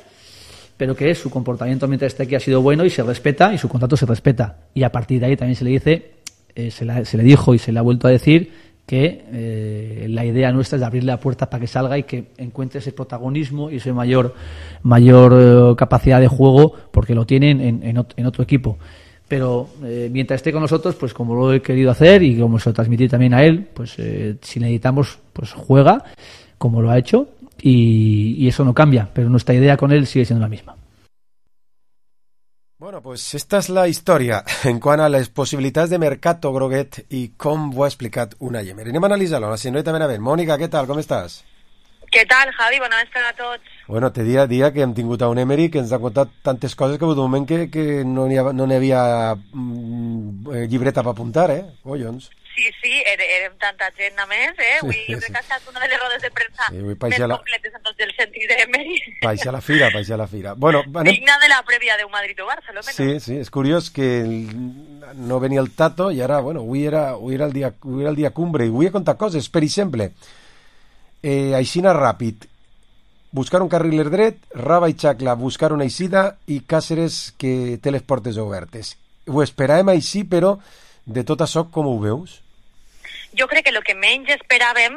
pero que su comportamiento mientras esté aquí ha sido bueno y se respeta, y su contrato se respeta, y a partir de ahí también se le dice, eh, se, la, se le dijo y se le ha vuelto a decir que eh, la idea nuestra es de abrirle la puerta para que salga y que encuentre ese protagonismo y esa mayor mayor eh, capacidad de juego, porque lo tienen en, en, en otro equipo. Pero eh, mientras esté con nosotros, pues como lo he querido hacer y como se lo transmití también a él, pues eh, si necesitamos, pues juega como lo ha hecho, y, y eso no cambia, pero nuestra idea con él sigue siendo la misma. Bueno, pues esta és la història en quant a les possibilitats de mercat groguet i com ho ha explicat Unai Emery. Anem a analitzar-lo, la senyorita Benavent. Mònica, què tal, com estàs? Què tal, Javi? Bona vesprada a tots. Bueno, té dia a dia que hem tingut a un Emery que ens ha contat tantes coses que d'un moment que, que no n'hi no n'hi havia mm, llibreta per apuntar, eh? Collons. Sí, sí, érem tanta gent a més, eh? Avui Sí, jo crec sí. que ha estat una de les rodes de premsa Sí, avui més paixà la- completes en tot el sentit d'Emery. Baixa la fira, baixa la fira. Bueno, anem... Digna de la prèvia d'un Madrid o Barça, almenys. Sí, sí, és curiós que el- no venia el Tato i ara, bueno, avui era, avui era, el, dia, avui era el dia cumbre i avui he contat coses. Per exemple, eh, aixina ràpid, buscar un carriler dret, Raba i Xacla buscar una eixida i Cáceres que té les portes obertes. Ho esperàvem així, però de tot això com ho veus? Jo crec que el que menys esperàvem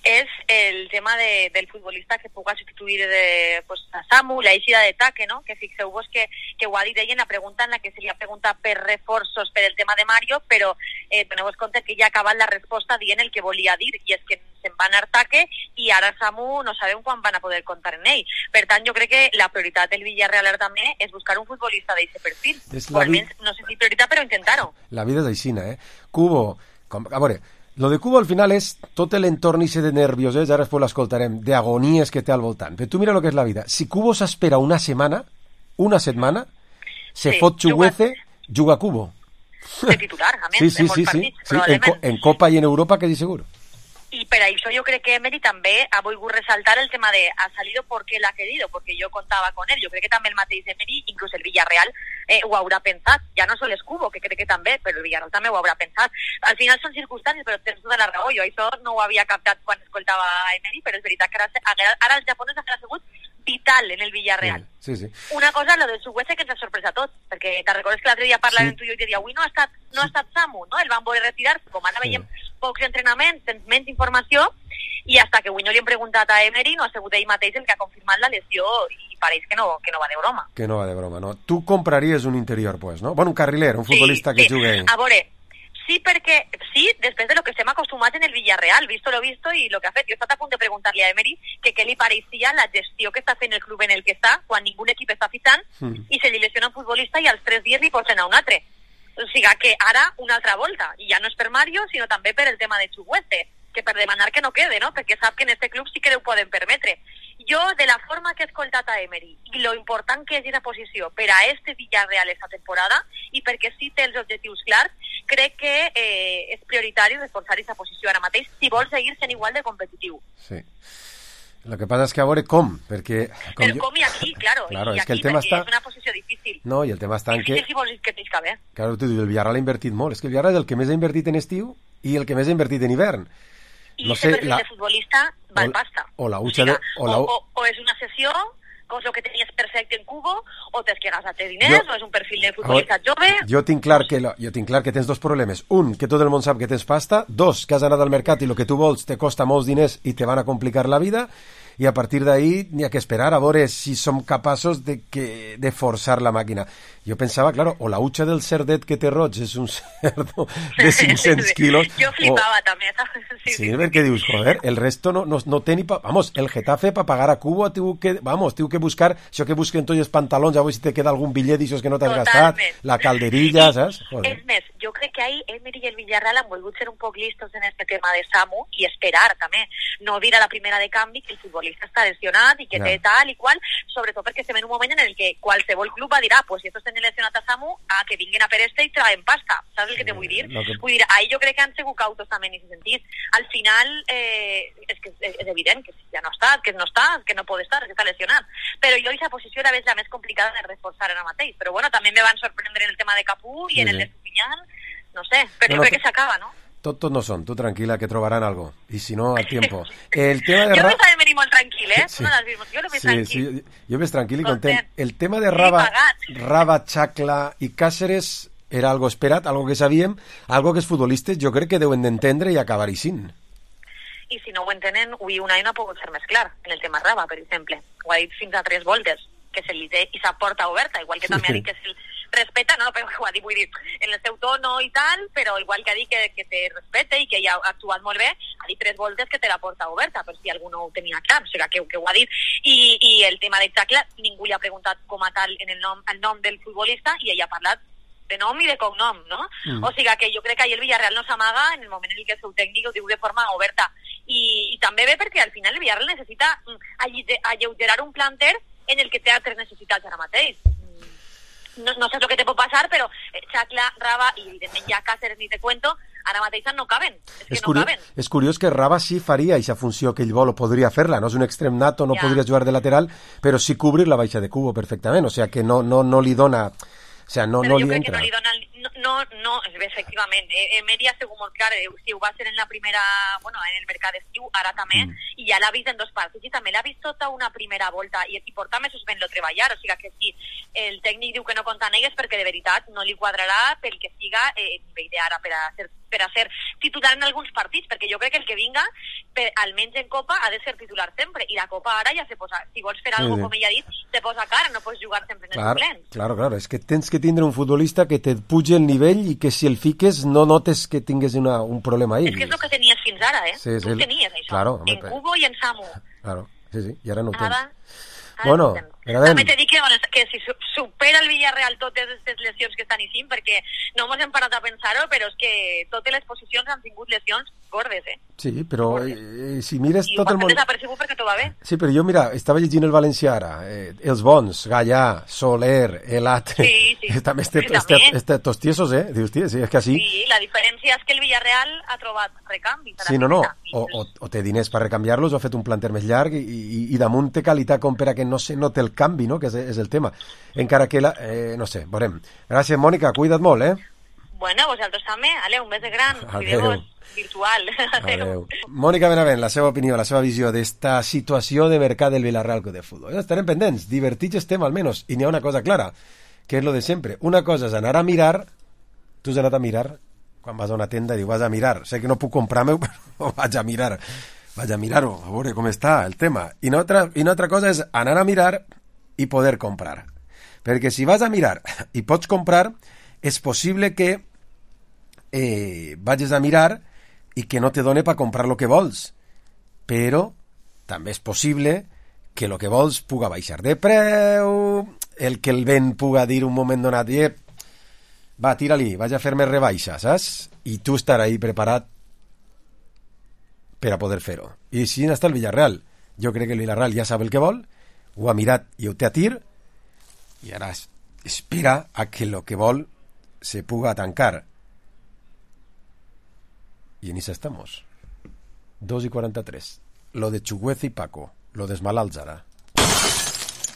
és el tema de, del futbolista que puga substituir de, pues, a Samu, la eixida de Taque, no? Que fixeu-vos que, que ho ha dit ell en la pregunta en la que se li ha preguntat per reforços per el tema de Mario, però eh, doneu-vos compte que ja ha acabat la resposta dient el que volia dir, i és que se'n va anar Taque i ara Samu no sabem quan van a poder comptar en ell. Per tant, jo crec que la prioritat del Villarreal ara també és buscar un futbolista d'aquest perfil. És O la vi- almenys, no sé si prioritat, però intentar-ho. La vida és aixina, eh? Cubo, com, a veure, lo de Cubo al final és tot l'entorn i de nervios, eh? Ja després l'escoltarem, d'agonies que té al voltant. Però tu mira el que és la vida. Si Cubo s'espera una setmana, una setmana, se Sí, fot Chuguece, juga Cubo. De titular, a més, Sí, sí, en molts sí, sí, partits, sí. En, probablement. co en Copa i en Europa quasi segur. Y per això yo creo que Emery també ha volgut resaltar el tema de ha salido porque él ha querido, porque yo contaba con él. Yo creo que també el mateix Emery, inclús el Villarreal, eh, ho haurà pensat. Ja no sol Escubo, que crec que també, però el Villarreal també ho haurà pensat. Al final són circumstàncies, però tens tota la raó. Jo això no ho havia captat quan escoltava Emery, però és veritat que ara, ara, ara els japonesos han sigut vital en el Villarreal. Sí, sí. Una cosa, lo del Chukwueze, que ens ha sorprès a tots, perquè te recordes que l'altre dia parlàvem Sí. tu i jo i te dia, avui no ha estat, no ha estat Samu, no? El van voler retirar, com ara veiem pocs entrenaments, tens menys informació, i hasta que avui no li hem preguntat a Emery, no ha sigut ell mateix el que ha confirmat la lesió, i pareix que no, que no va de broma. Que no va de broma, no? Tu compraries un interior, pues, no? Bueno, un carriler, un futbolista sí, que sí. jugui... A veure, sí, perquè, sí, després de lo que estem acostumats en el Villarreal, visto lo visto i lo que ha fet. Jo he estat a punt de preguntar-li a Emery que què li pareixia la gestió que està fent el club en el que està, quan ningú equip està fitxant, Mm. i se li lesiona un futbolista i als tres dies li posen a un altre. O sigui que ara una altra volta, i ja no és per Mario, sinó també per el tema de Chukwueze, que per demanar que no quede, no? Perquè sap que en este club sí que ho poden permetre. Jo, de la forma que he escoltat a Emery, i lo important que és aquesta posició per a este Villarreal esta temporada, i perquè sí té els objectius clars, crec que eh, és prioritari reforçar aquesta posició ara mateix si vol seguir sent igual de competitiu. Sí. Lo que pasa es que a veure com, perquè... Com Però jo... com i aquí, claro, Claro, i és que aquí, el tema perquè està- és una posició difícil. No, i el tema està en que... Difícil si vols que tens que haver. Claro, tu dius, el Villarreal ha invertit molt. És que el Villarreal és el que més ha invertit en estiu i el que més ha invertit en hivern. I No este sé, perfil la... de futbolista val o- pasta. o la O, hucha sigui, de... O la... o, o, o és una sessió, com és el que tenies perfecte en Cubo, o tens que gastar diners, Jo- o és un perfil de futbolista A veure, jove... Jo tinc clar que lo- jo tinc clar que tens dos problemes. Un, que tot el món sap que tens pasta. Dos, que has anat al mercat i el que tu vols te costa molts diners i te van a complicar la vida. I a partir d'ahí n'hi ha que esperar a veure si som capaços de, que, de forçar la màquina. Jo pensava, claro, o la hucha del cerdet que té roig és un cerdo de cinc-cents quilos... Jo flipava o... també, saps? Sí, Sí, perquè dius, joder, el resto no, no, no té ni... Pa... Vamos, el Getafe para pagar a Cubo tiu que, vamos, tiu que buscar això que busquen tots els pantalons, a veure si te queda algun bitllet d'aixòs que no t'has gastat, la calderilla, saps? Joder. És més, jo crec que ahí Emery i el Villarreal han volgut ser un poc listos en este tema de Samu i esperar també, no dir a la primera de canvi que el futbolista està lesionat i que Ja. té tal i qual, sobretot perquè estem en un moment en el que qualsevol club va dir, ah, pues si estos tenen lesionat a Samu, ah, que vinguin a per este i traen pasta, saps el que te vull dir? lo que- Vull dir, ahí jo crec que han sigut cautos també en aquest sentit. Al final, eh, és que és, és evident que ja no està, que no està, que no pot estar, que està lesionat, però jo aquesta posició era la més complicada de reforçar ara mateix, però bueno, també me van sorprendre en el tema de Capú i Sí, en el sí. de Supinyán, no sé, però No, jo no, crec que s'acaba, no? Tot, tot no són, tu tranquil·la, que trobaran algo. I si no, al tiempo. El tema de Jo Ra... veig a Emery molt tranquil, eh? Sí. No l'has vist, jo lo veig Sí, tranquil. sí, jo ves tranquil i Content. content. El tema de Sí, Raba, pagat. Raba, Chacla i Cáceres era algo esperat, algo que sabíem, algo que els futbolistes jo crec que deuen d'entendre i acabar-hi sin. I si no ho entenen, avui un any no ha pogut ser més clar, en el tema Raba, per exemple. Ho ha dit fins a tres voltes, que se li té i sa porta oberta, igual que també ha dit que se'l respeta, no, però ho ha dit, vull dir, en el seu tono i tal, però igual que ha dit que, que te respeta i que ja ha actuat molt bé, ha dit tres voltes que té la porta oberta, per si algú no ho tenia clar, o sigui que, que ho ha dit. I, i el tema de Chacla, ningú li ha preguntat com a tal en el nom, el nom del futbolista i ell ha parlat de nom i de cognom, no? Mm. O sigui que jo crec que ahir el Villarreal no s'amaga en el moment en el que el seu tècnic ho diu de forma oberta. I, i també bé perquè al final el Villarreal necessita mm, alli- alleugerar un planter en el que té altres necessitats ara mateix. Mm, No, no sé el que te pot passar, però eh, Chacla, Raba i evidentment ja Cáceres ni te cuento, ara mateix no caben. És que És, no curiós, caben. és curiós que Raba sí faria aquesta funció que ell vol o podria fer-la, no és un extrem nato, no Ja. podria jugar de lateral, però sí cobrir la baixa de Cubo perfectament, o sea que no, no, no li dona... O sea, no, Però no jo li crec que entra. no li dona... el- No, no, no efectivament. Eh, Emery ha sigut molt clar, eh, si ho va ser en la primera... Bueno, en el mercat d'estiu, ara també, Mm. i ja l'ha vist en dos partits, i també l'ha vist tota una primera volta, i, i porta mesos fent-lo treballar, o sigui que si el tècnic diu que no compta amb ell és perquè de veritat no li quadrarà pel que siga eh, nivell d'ara per a ser per a ser titular en alguns partits, perquè jo crec que el que vinga, per, almenys en Copa, ha de ser titular sempre, i la Copa ara ja se posa, si vols fer Sí, alguna sí. com ella ha dit, te posa cara, no pots jugar sempre en el Claro, suplent. claro, claro, és que tens que tindre un futbolista que te pugi el nivell i que si el fiques no notes que tingues una, un problema ahí. És que és el que tenies fins ara, eh? Sí, Tu sí. tenies això, Claro, home, en però- Cubo i en Samu. Claro, sí, sí, i ara no ho tens. Ara, ara Bueno, no ho tens. però a També veure, t'he dit que, bueno, que si su- supera el Villarreal totes aquestes lesions que estan així, perquè no mos hem parat a pensar-ho, però és que totes les posicions han tingut lesions gordes, eh? sí, però eh, si mires I tot ho el has món... fet desapercebut perquè t'ho va bé. Sí, però jo, mira, estava llegint el valencià ara, eh, els bons, Gallà, Soler, Elat... Sí, sí. també este, Sí, este, també. este, estos tiesos, eh? Dius, tia, sí, és que així... Sí, la diferència és que el Villarreal ha trobat recanvis. a la Sí, no, no, primera. o, o, o té diners per recanviar-los o ha fet un planter més llarg i, i, i damunt té qualitat com per a que no se note el canvi, no?, que és, és el tema. Encara que, la, eh, no sé, veurem. Gràcies, Mònica, cuida't molt, eh? Bueno, vosaltres també, ale, un bes de gran, Adeu. Virtual. Adeu. Mònica Benavent, la seva opinió, la seva visió d'esta situació de mercat del Villarreal Club de Futbol. Estarem pendents, divertits estem almenys, i n'hi ha una cosa clara, que és lo de sempre. Una cosa és anar a mirar, tu has anat a mirar, quan vas a una tenda i dius, vas a mirar, sé que no puc comprar-me, però vaig a mirar, vaig a mirar-ho, a veure com està el tema. I una altra, i una altra cosa és anar a mirar i poder comprar. Perquè si vas a mirar i pots comprar, és possible que eh, vagis a mirar i que no te done per comprar el que vols. Però també és possible que el que vols puga baixar de preu, el que el vent puga dir un moment donat, eh, va, tira-li, vaig a fer-me rebaixa, saps? I tu estar ahí preparat per a poder fer-ho. I així està el Villarreal. Jo crec que el Villarreal ja sap el que vol, ho ha mirat i ho té a tir, i ara espera a que el que vol se puga tancar. I en això estamos. dos i quaranta-tres. Lo de Chuguez y Paco. Lo de Esmalalts ara.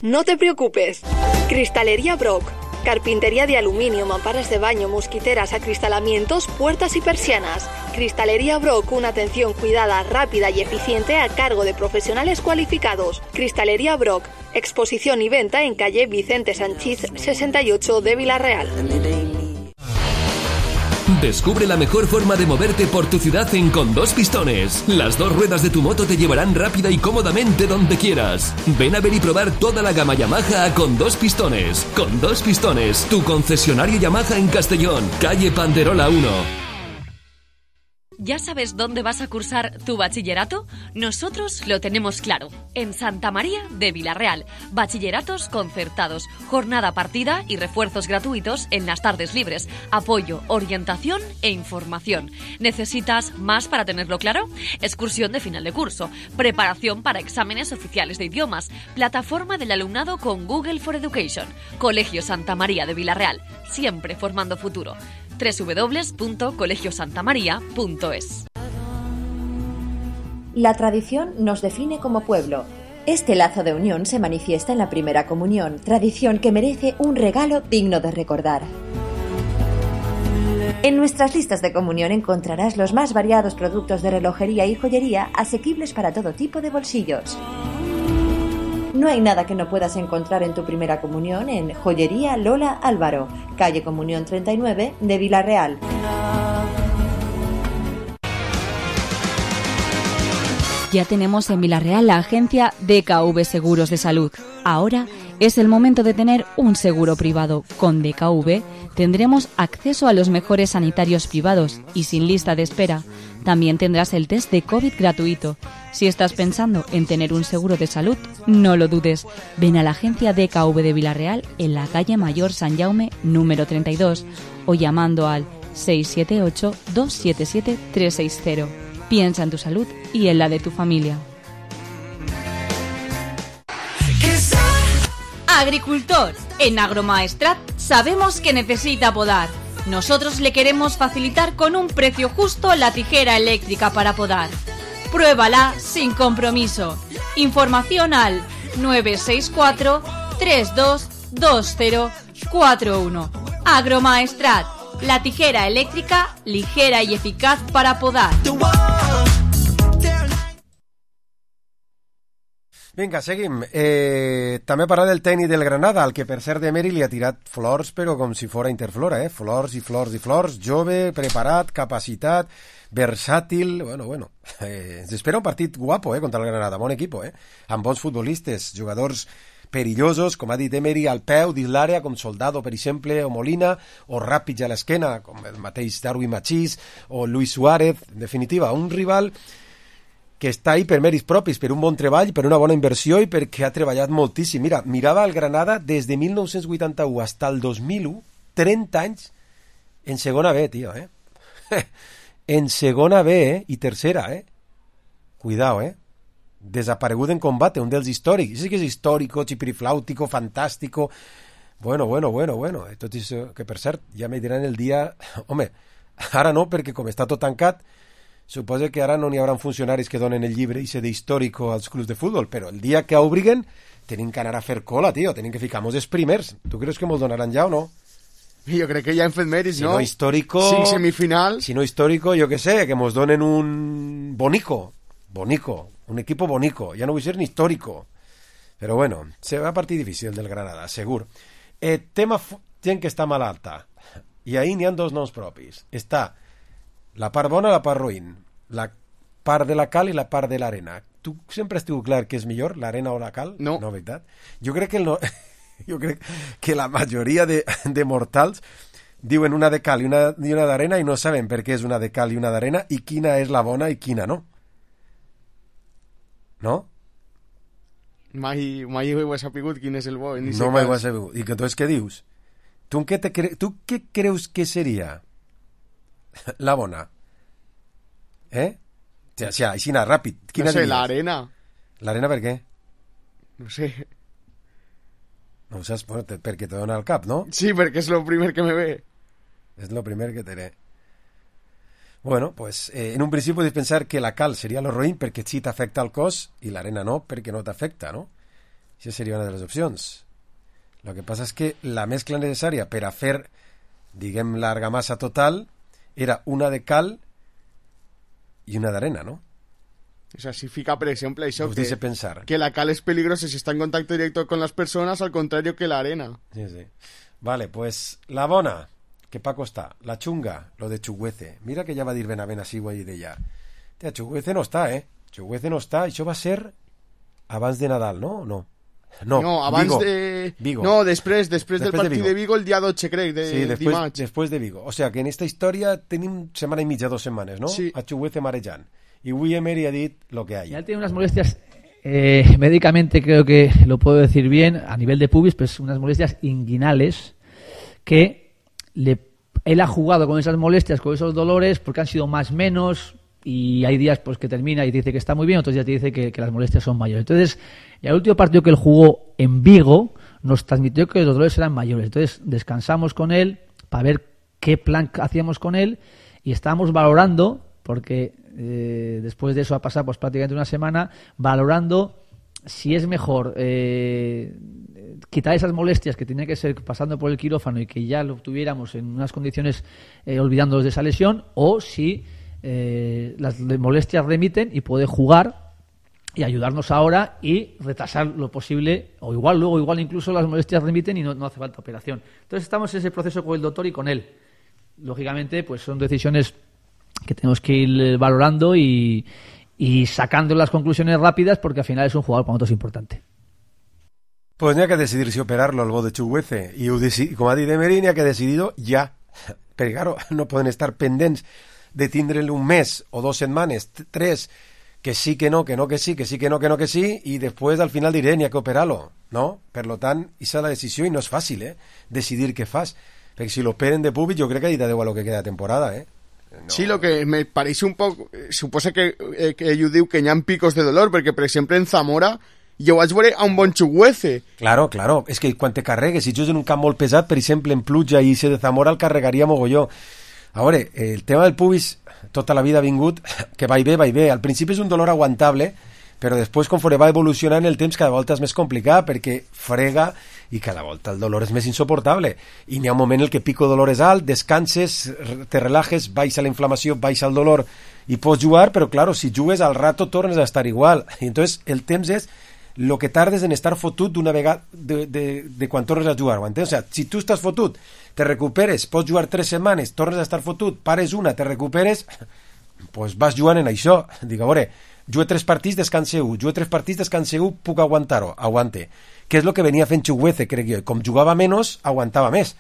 No te preocupes. Cristalería Brock. Carpintería de aluminio, mamparas de baño, mosquiteras, acristalamientos, puertas y persianas. Cristalería Brock, una atención cuidada, rápida y eficiente a cargo de profesionales cualificados. Cristalería Brock, exposición y venta en calle Vicente Sanchís sesenta y ocho de Villarreal. Descubre la mejor forma de moverte por tu ciudad en Con Dos Pistones. Las dos ruedas de tu moto te llevarán rápida y cómodamente donde quieras. Ven a ver y probar toda la gama Yamaha a Con Dos Pistones. Con Dos Pistones, tu concesionario Yamaha en Castellón, calle Panderola uno. ¿Ya sabes dónde vas a cursar tu bachillerato? Nosotros lo tenemos claro. En Santa María de Villarreal. Bachilleratos concertados, jornada partida y refuerzos gratuitos en las tardes libres. Apoyo, orientación e información. ¿Necesitas más para tenerlo claro? Excursión de final de curso. Preparación para exámenes oficiales de idiomas. Plataforma del alumnado con Google for Education. Colegio Santa María de Villarreal. Siempre formando futuro. doble u doble u doble u punto colegio santa maría punto es. La tradición nos define como pueblo. Este lazo de unión se manifiesta en la primera comunión, tradición que merece un regalo digno de recordar. En nuestras listas de comunión encontrarás los más variados productos de relojería y joyería asequibles para todo tipo de bolsillos. No hay nada que no puedas encontrar en tu primera comunión en Joyería Lola Álvaro, calle Comunión treinta y nueve de Villarreal. Ya tenemos en Villarreal la agencia D K V Seguros de Salud. Ahora es el momento de tener un seguro privado. Con D K V tendremos acceso a los mejores sanitarios privados y sin lista de espera. También tendrás el test de COVID gratuito. Si estás pensando en tener un seguro de salud, no lo dudes. Ven a la agencia D K V de Villarreal en la calle Mayor San Jaume número treinta y dos o llamando al seis siete ocho, dos siete siete, tres seis cero. Piensa en tu salud y en la de tu familia. Agricultor, en Agromaestrat sabemos que necesita podar. Nosotros le queremos facilitar con un precio justo la tijera eléctrica para podar. Pruébala sin compromiso. Información al nueve seis cuatro, tres dos dos cero cuatro uno. Agromaestrat, la tijera eléctrica ligera y eficaz para podar. Vinga, seguim. Eh, també parlar del tècnic del Granada, al que per cert Emery li ha tirat flors, però com si fora Interflora, eh? Flors i flors i flors, jove, preparat, capacitat, versàtil, bueno, bueno. Eh, ens espera un partit guapo, eh, contra el Granada, bon equip, eh? Amb bons futbolistes, jugadors perillosos, com ha dit Emery, al peu dins l'àrea, com Soldado, per exemple, o Molina, o ràpids a l'esquena, com el mateix Darwin Machís, o Luis Suárez, en definitiva, un rival que està ahí per mèrits propis, per un bon treball, per una bona inversió i perquè ha treballat moltíssim. Mira, mirava el Granada des de mil nou-cents vuitanta-u fins al dos mil u, trenta anys en segona B, tio, eh? En segona B, eh? I tercera, eh? Cuidao, eh? Desaparegut en combate, un dels històrics. Sí que és històrico, chipiriflàutico, fantàstico. Bueno, bueno, bueno, bueno. Tot això, que per cert, ja me diran el dia... Home, ara no, perquè com està tot tancat, suposo que ara no n'hi haurà funcionaris que donen el llibre i se d'històrico als clubs de futbol, però el dia que obriguen tenim que anar a fer cola, tio, tenim que ficar-nos els primers. Tu creus que mos donaran ja o no? Jo crec que ja hem fet mèrits, si no? no histórico... Cinc semifinals. Si no histórico, jo que sé, que mos donen un bonico. Bonico. Un equipo bonico. Ja no vull ser ni histórico. Però bueno, se va a partir difícil del Granada, segur. Eh, tema f- gent que està malalta. I ahir n'hi ha dos noms propis. Està la part bona i la part ruïn. La part de la cal i la part de l'arena. Tu sempre has tingut clar que és millor, l'arena o la cal? No. No, veritat? Jo crec que el no... Jo crec que la majoria de, de mortals diuen una de cal i una, i una d'arena i no saben per què és una de cal i una d'arena i quina és la bona i quina no. No? Mai, mai ho he sapigut quin és el bo. No mai ho has sabut. I que entonces què dius? Tu què, te cre... tu què creus que seria la bona? Eh? O sigui, així anar ràpid. Quina no sé, diries? l'arena. L'arena per què? No sé. No ho saps perquè te dona el cap, no? Sí, perquè és el primer que me ve. És el primer que te ve. Bueno, pues eh, en un principi pots pensar que la cal seria lo ruïn perquè sí t'afecta el cos i l'arena no, perquè no t'afecta, no? Això seria una de les opcions. Lo que passa és que la mescla necessària per a fer, diguem, l'argamassa total era una de cal i una d'arena, no? O sea, si fica, por ejemplo, eso Us que, dice pensar. que la cal es peligrosa si está en contacto directo con las personas, al contrario que la arena. Sí, sí. Vale, pues la bona, que Paco està. La chunga, lo de Chuguece. Mira que ja va dir Benavent així ho de ja. Tia, Chuguece no està, eh? Chuguece no està. Això va ser abans de Nadal, no? No. No, no abans Vigo. de... Vigo. No, després, després, després del partit de Vigo. de Vigo el dia dotze, crec, de sí, després, dimarts. després de Vigo. O sea, que en esta història tenim setmana i mitja, dos setmanes, no? Sí. A Chuguece marejant. Y Willy Emery ha dit lo que hay. Ya tiene unas molestias, eh, médicamente creo que lo puedo decir bien, a nivel de pubis, pues unas molestias inguinales que le, él ha jugado con esas molestias, con esos dolores, porque han sido más menos, y hay días pues que termina y dice que está muy bien, otros días te dice que, que las molestias son mayores. Entonces, el último partido que él jugó en Vigo nos transmitió que los dolores eran mayores. Entonces, descansamos con él para ver qué plan hacíamos con él y estábamos valorando, porque eh, después de eso ha pasado pues prácticamente una semana, valorando si es mejor eh, quitar esas molestias que tenía que ser pasando por el quirófano y que ya lo tuviéramos en unas condiciones eh, olvidándonos de esa lesión, o si eh, las molestias remiten y puede jugar y ayudarnos ahora y retrasar lo posible, o igual luego igual incluso las molestias remiten y no, no hace falta operación. Entonces estamos en ese proceso con el doctor y con él. Lógicamente pues son decisiones que tenemos que ir valorando y, y sacando las conclusiones rápidas, porque al final es un jugador para nosotros importante. Pues n'hi ha que decidir si operar-lo al bo de Chuguece, i ho deci- com ha dit Emery, n'hi ha que decidir-ho ja, perquè claro, no poden estar pendents de tindre'l un mes o dos setmanes, t- tres, que sí, que no, que no, que sí, que sí, que no, que no, que sí, i després al final diré n'hi ha que operar-lo, no? Per lo tant, aquesta és la decisió i no és fàcil, eh? Decidir què fas, perquè si l'operen de públic jo crec que ha dit adeu a lo que queda de temporada, eh? No. Sí, lo que me parece un poco... Eh, suposa que, eh, que ell diu que hi ha picos de dolor, perquè, per exemple, en Zamora jo vaig veure a un bon Chuguece. Claro, claro, és que quan te carregues, si jugues en un camp molt pesat, per exemple, en Pluja i ese de Zamora el carregaria mogolló. A veure, el tema del pubis tota la vida ha vingut, que va i ve, va i ve. Al principi és un dolor aguantable, però després, conforme va evolucionant el temps, cada volta és més complicat, perquè frega i cada volta el dolor és més insoportable. I n'hi ha un moment en el que pico dolor és alt, descanses, te relajes, baixa la inflamació, baixa el dolor i pots jugar, però claro, si jugues al rato tornes a estar igual. I entonces el temps és lo que tardes en estar fotut d'una vegada de, de, de quan tornes a jugar, ho entens? O sea, si tu estàs fotut, te recuperes, pots jugar tres setmanes, tornes a estar fotut, pares una, te recuperes, pues vas jugant en això. Dic, a veure, jugué tres partits, descanse un, jugué tres partits, descanse un, puc aguantar-ho, aguante. Què és el que venia fent Chuguece, crec jo? Com jugava menys, aguantava més.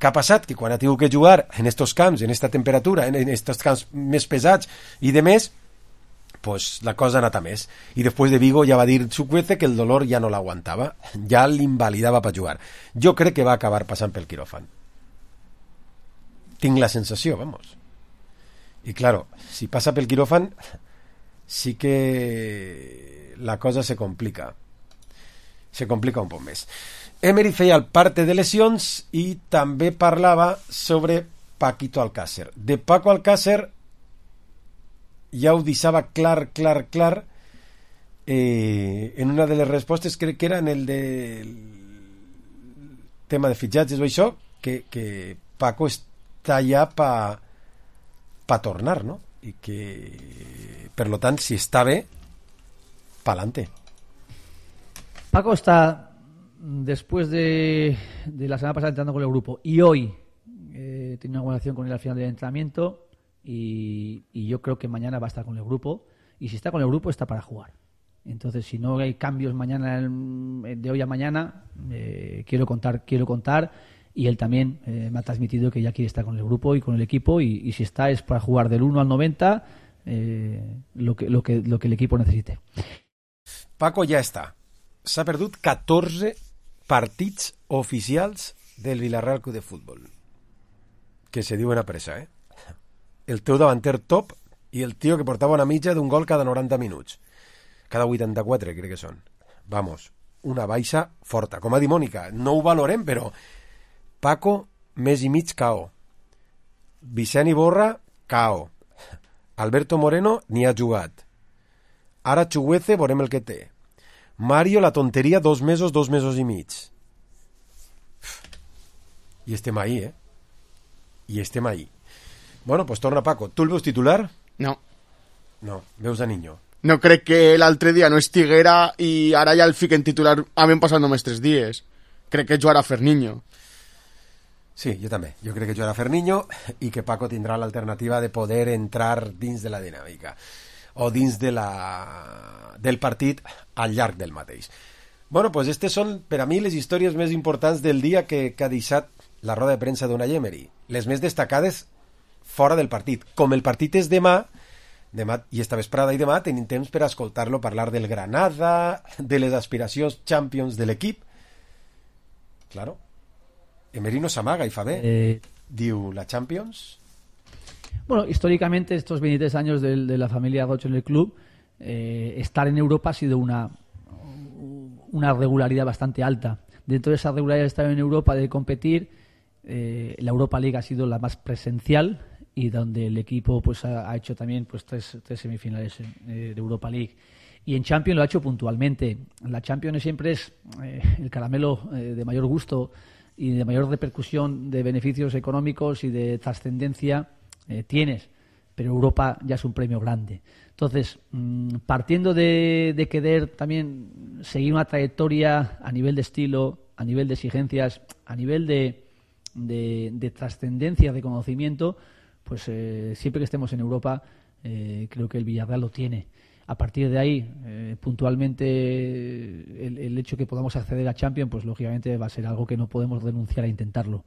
Què ha passat? Que quan ha tingut que jugar en estos camps, en esta temperatura, en estos camps més pesats i de més, pues la cosa ha anat a més. I després de Vigo ja va dir Chuguece que el dolor ja no l'aguantava, ja l'invalidava per jugar. Jo crec que va acabar passant pel quiròfan. Tinc la sensació, vamos. I claro, si passa pel quiròfan sí que la cosa se complica. Se complica un poc més. Emery feia el parte de lesions i també parlava sobre Paquito Alcácer. De Paco Alcácer ja ho deixava clar, clar, clar eh, en una de les respostes, crec que era en el de el tema de fitxatges o això, que, que Paco està ja pa, pa tornar, no? I que, per lo tant, si està bé, pa'lante. Paco está, después de, de la semana pasada, entrando con el grupo, y hoy eh, tiene una buena acción con él al final del entrenamiento, y, y yo creo que mañana va a estar con el grupo, y si está con el grupo está para jugar. Entonces, si no hay cambios mañana, de hoy a mañana, eh, quiero contar, quiero contar, y él también eh, me ha transmitido que ya quiere estar con el grupo y con el equipo, y, y si está es para jugar del uno al noventa, eh, lo que, lo que, lo que el equipo necesite. Paco ja està. S'ha perdut catorze partits oficials del Villarreal Club de Futbol, que se diuen a pressa, eh? El teu davanter top i el tio que portava una mitja d'un gol cada noranta minuts. Cada vuitanta-quatre, crec que són. Vamos, una baixa forta. Com ha dit Mònica, no ho valorem, però Paco, mes i mig K O. Vicent Iborra, K O. Alberto Moreno ni ha jugat. Ara Chuguece, veurem el que té. Mario, la tonteria, dos mesos, dos mesos i mig. I estem ahí, eh? I estem ahí. Bueno, pues torna Paco. Tu el veus titular? No. No, veus a Niño. No crec que l'altre dia no estiguera i ara ja el fiquen titular havent passat només tres dies. Crec que jugarà Ferniño. Sí, jo també. Jo crec que jugarà Ferniño i que Paco tindrà l'alternativa de poder entrar dins de la dinàmica o dins de la... del partit al llarg del mateix. Bueno, pues estes són per a mi les històries més importants del dia que, que ha deixat la roda de premsa d'Unai Emery. Les més destacades fora del partit. Com el partit és demà, demà i esta vesprada i demà tenim temps per escoltar-lo parlar del Granada, de les aspiracions Champions de l'equip. Claro. Emery no s'amaga i fa bé. Eh... Diu, la Champions... Bueno, históricamente estos veintitrés años de, de la familia Roche en el club, eh, estar en Europa ha sido una, una regularidad bastante alta. Dentro de esa regularidad de estar en Europa, de competir, eh, la Europa League ha sido la más presencial y donde el equipo pues ha, ha hecho también pues tres, tres semifinales eh, de Europa League. Y en Champions lo ha hecho puntualmente. La Champions siempre es eh, el caramelo eh, de mayor gusto y de mayor repercusión de beneficios económicos y de trascendencia eh, tienes, pero Europa ya es un premio grande. Entonces, mmm, partiendo de, de querer también seguir una trayectoria a nivel de estilo, a nivel de exigencias, a nivel de, de, de trascendencia, de conocimiento, pues eh, siempre que estemos en Europa, eh, creo que el Villarreal lo tiene. A partir de ahí, eh, puntualmente, el, el hecho que podamos acceder a Champions, pues lógicamente va a ser algo que no podemos renunciar a intentarlo.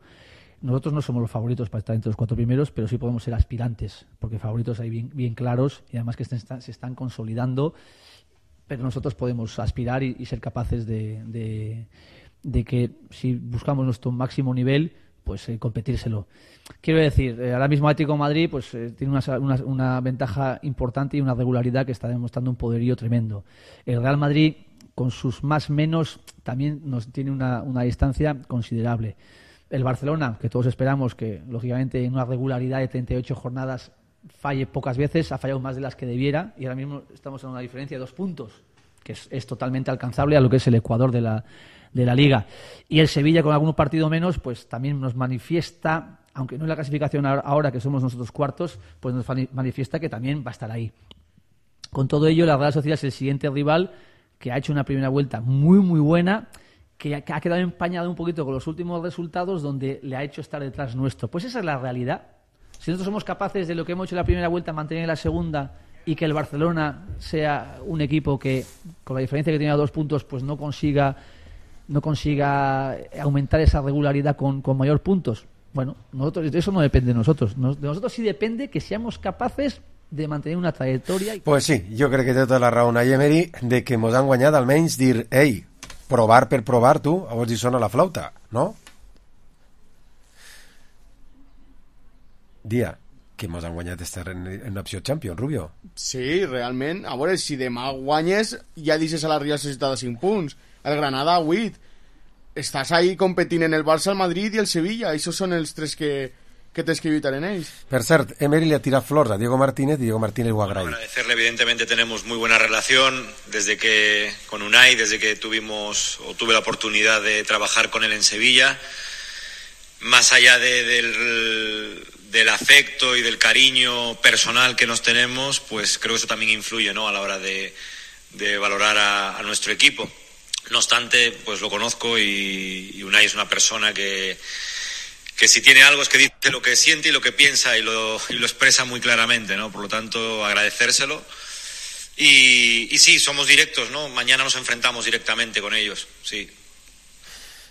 Nosotros no somos los favoritos para estar entre los cuatro primeros, pero sí podemos ser aspirantes, porque favoritos hay bien, bien claros y además que estén, se están consolidando, pero nosotros podemos aspirar y, y ser capaces de, de, de que si buscamos nuestro máximo nivel, pues eh, competírselo. Quiero decir, eh, ahora mismo Atlético de Madrid pues eh, tiene una, una, una ventaja importante y una regularidad que está demostrando un poderío tremendo. El Real Madrid, con sus más menos, también nos tiene una, una distancia considerable. El Barcelona, que todos esperamos que, lógicamente, en una regularidad de treinta y ocho jornadas falle pocas veces, ha fallado más de las que debiera y ahora mismo estamos en una diferencia de dos puntos, que es, es totalmente alcanzable a lo que es el Ecuador de la, de la Liga. Y el Sevilla, con algún partido menos, pues también nos manifiesta, aunque no en la clasificación ahora que somos nosotros cuartos, pues nos manifiesta que también va a estar ahí. Con todo ello, la Real Sociedad es el siguiente rival que ha hecho una primera vuelta muy, muy buena, que ha quedado empañado un poquito con los últimos resultados, donde le ha hecho estar detrás nuestro. Pues esa es la realidad. Si nosotros somos capaces de lo que hemos hecho en la primera vuelta, mantener en la segunda y que el Barcelona sea un equipo que, con la diferencia que tiene a dos puntos, pues no consiga no consiga aumentar esa regularidad con, con mayor puntos. Bueno, nosotros, eso no depende de nosotros. De nosotros sí depende que seamos capaces de mantenir una trayectoria. Pues sí, jo crec que té tota la raó a Emery de que mos han guanyat almenys dir, ei, provar per provar, tu, a veure si sona la flauta, no? Dia, que mos han guanyat estar en, en opció Champions, Rubio. Sí, realment. A veure, si demà guanyes, ja deixes a la Real Societat a cinc punts. El Granada a vuit. Estàs ahí competint en el Barça, el Madrid i el Sevilla. Això són els tres que, que tens que evitar en ells. Per cert, Emery le ha tirat flors a Diego Martínez y Diego Martínez lo agradece. Agradecerle, evidentemente tenemos muy buena relación desde que con Unai, desde que tuvimos o tuve la oportunidad de trabajar con él en Sevilla. más allá de, del, del afecto y del cariño personal que nos tenemos, pues creo que eso también influye, ¿no?, a la hora de, de valorar a, a nuestro equipo. No obstante, pues lo conozco y, y Unai es una persona que, que si tiene algo es que dice lo que siente y lo que piensa y lo, y lo expresa muy claramente, ¿no? Por lo tanto, agradecérselo. Y, y sí, somos directos, ¿no? Mañana nos enfrentamos directamente con ellos, sí.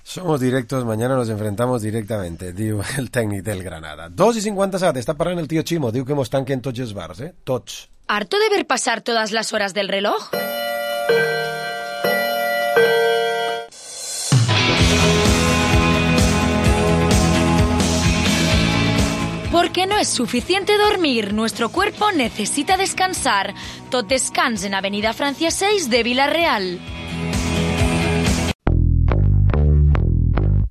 Somos directos, mañana nos enfrentamos directamente, diu el tècnic del Granada. dos i cinquanta-set, està parlant el tio Chimo, diu que mos tanquen tots els bars, eh? Tots. ¿Harto de ver pasar todas las horas del reloj? Porque no es suficiente dormir, nuestro cuerpo necesita descansar. Tot descans en Avenida Francia seis de Villarreal.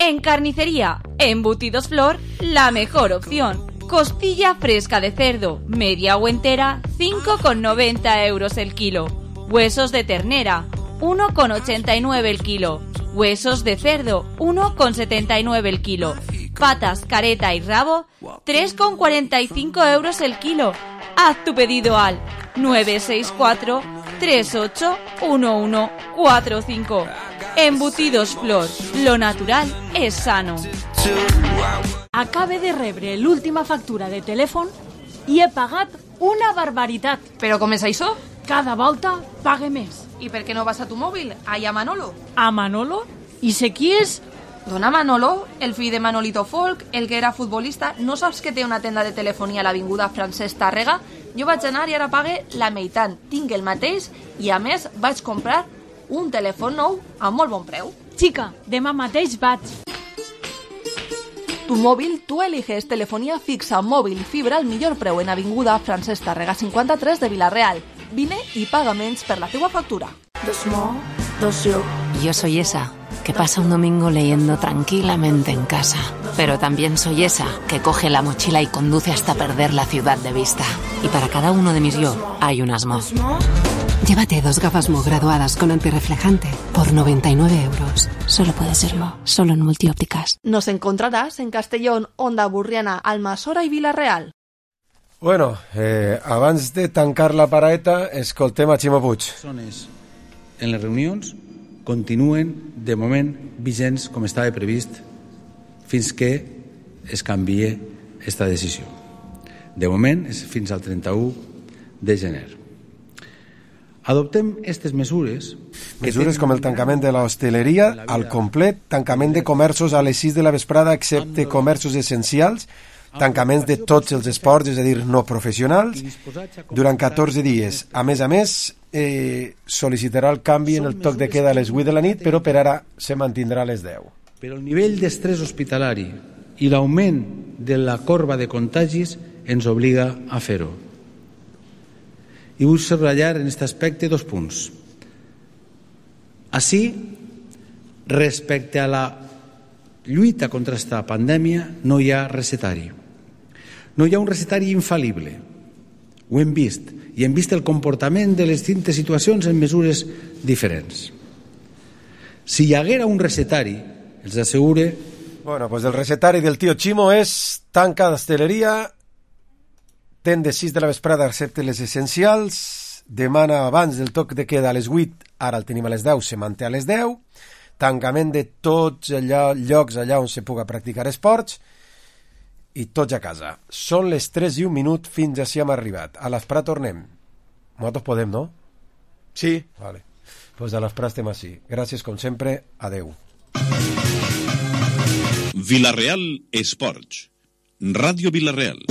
En carnicería, Embutidos Flor, la mejor opción. Costilla fresca de cerdo, media o entera, cinco con noventa euros el kilo. Huesos de ternera, uno con ochenta y nueve el kilo. Huesos de cerdo, uno con setenta y nueve el kilo. Patas, careta y rabo, tres con cuarenta y cinco euros el kilo. Haz tu pedido al nueve seis cuatro, tres ocho, uno uno cuatro cinco. Embutidos Flor, lo natural és sano. Acabe de rebre l'última factura de telèfon i he pagat una barbaritat. Però com és això? Cada volta pague més. I per què no vas a tu mòbil? Allà a Manolo. A Manolo? I sé qui és? Dona Manolo, el fill de Manolito Folk, el que era futbolista. No saps que té una tenda de telefonia a l'avinguda Francesc Tàrrega? Jo vaig anar i ara pague la meitat. Tinc el mateix i a més vaig comprar un telèfon nou a molt bon preu. Xica, demà mateix vaig. Tu móvil, tú eliges telefonía fixa, móvil, fibra al millor preu en avinguda Francesc Tàrrega cinquanta-tres de Villarreal. Vine y paga menys per la teua factura. Dos mo, dos yo. Yo soy esa que pasa un domingo leyendo tranquilamente en casa. Pero también soy esa que coge la mochila y conduce hasta perder la ciudad de vista. Y para cada uno de mis yo hay un asmo. Llévate dos gafas Mo graduadas con antirreflejante por noventa y nueve euros. Solo puede ser Mo, solo en Multiópticas. Nos encontrarás en Castellón, Onda Burriana, Almassora y Villarreal. Bueno, eh, abans de tancar la paraeta, escoltem a Ximo Puig. En les reunions continuen, de moment, vigents com estava previst fins que es canvie esta decisió. De moment és fins al trenta-u de gener. Adoptem aquestes mesures... Mesures com el tancament de l'hostaleria al complet, tancament de comerços a les sis de la vesprada excepte comerços essencials, tancaments de tots els esports, és a dir, no professionals, durant catorze dies. A més a més, eh, sol·licitarà el canvi en el toc de queda a les vuit de la nit, però per ara se mantindrà a les deu. Però el nivell d'estrès hospitalari i l'augment de la corba de contagis ens obliga a fer-ho. I vull subratllar en aquest aspecte dos punts. Així, respecte a la lluita contra aquesta pandèmia, no hi ha recetari. No hi ha un recetari infal·lible. Ho hem vist. I hem vist el comportament de les distintes situacions en mesures diferents. Si hi haguera un recetari, els assegure... Bueno, pues el recetari del tio Chimo és tanca d'hostaleria, ten de sis de la vesprada excepte les essencials, demana abans del toc de queda a les vuit, ara el tenim a les deu, se manté a les deu, tancament de tots allà, llocs allà on se puga practicar esports i tots a casa. Són les tres i un minut, fins així hem arribat. A l'Esprà tornem. Nosaltres podem, no? Sí. Vale. Pues a l'Esprà estem així. Gràcies, com sempre. Adeu. Villarreal Esports. Ràdio Villarreal.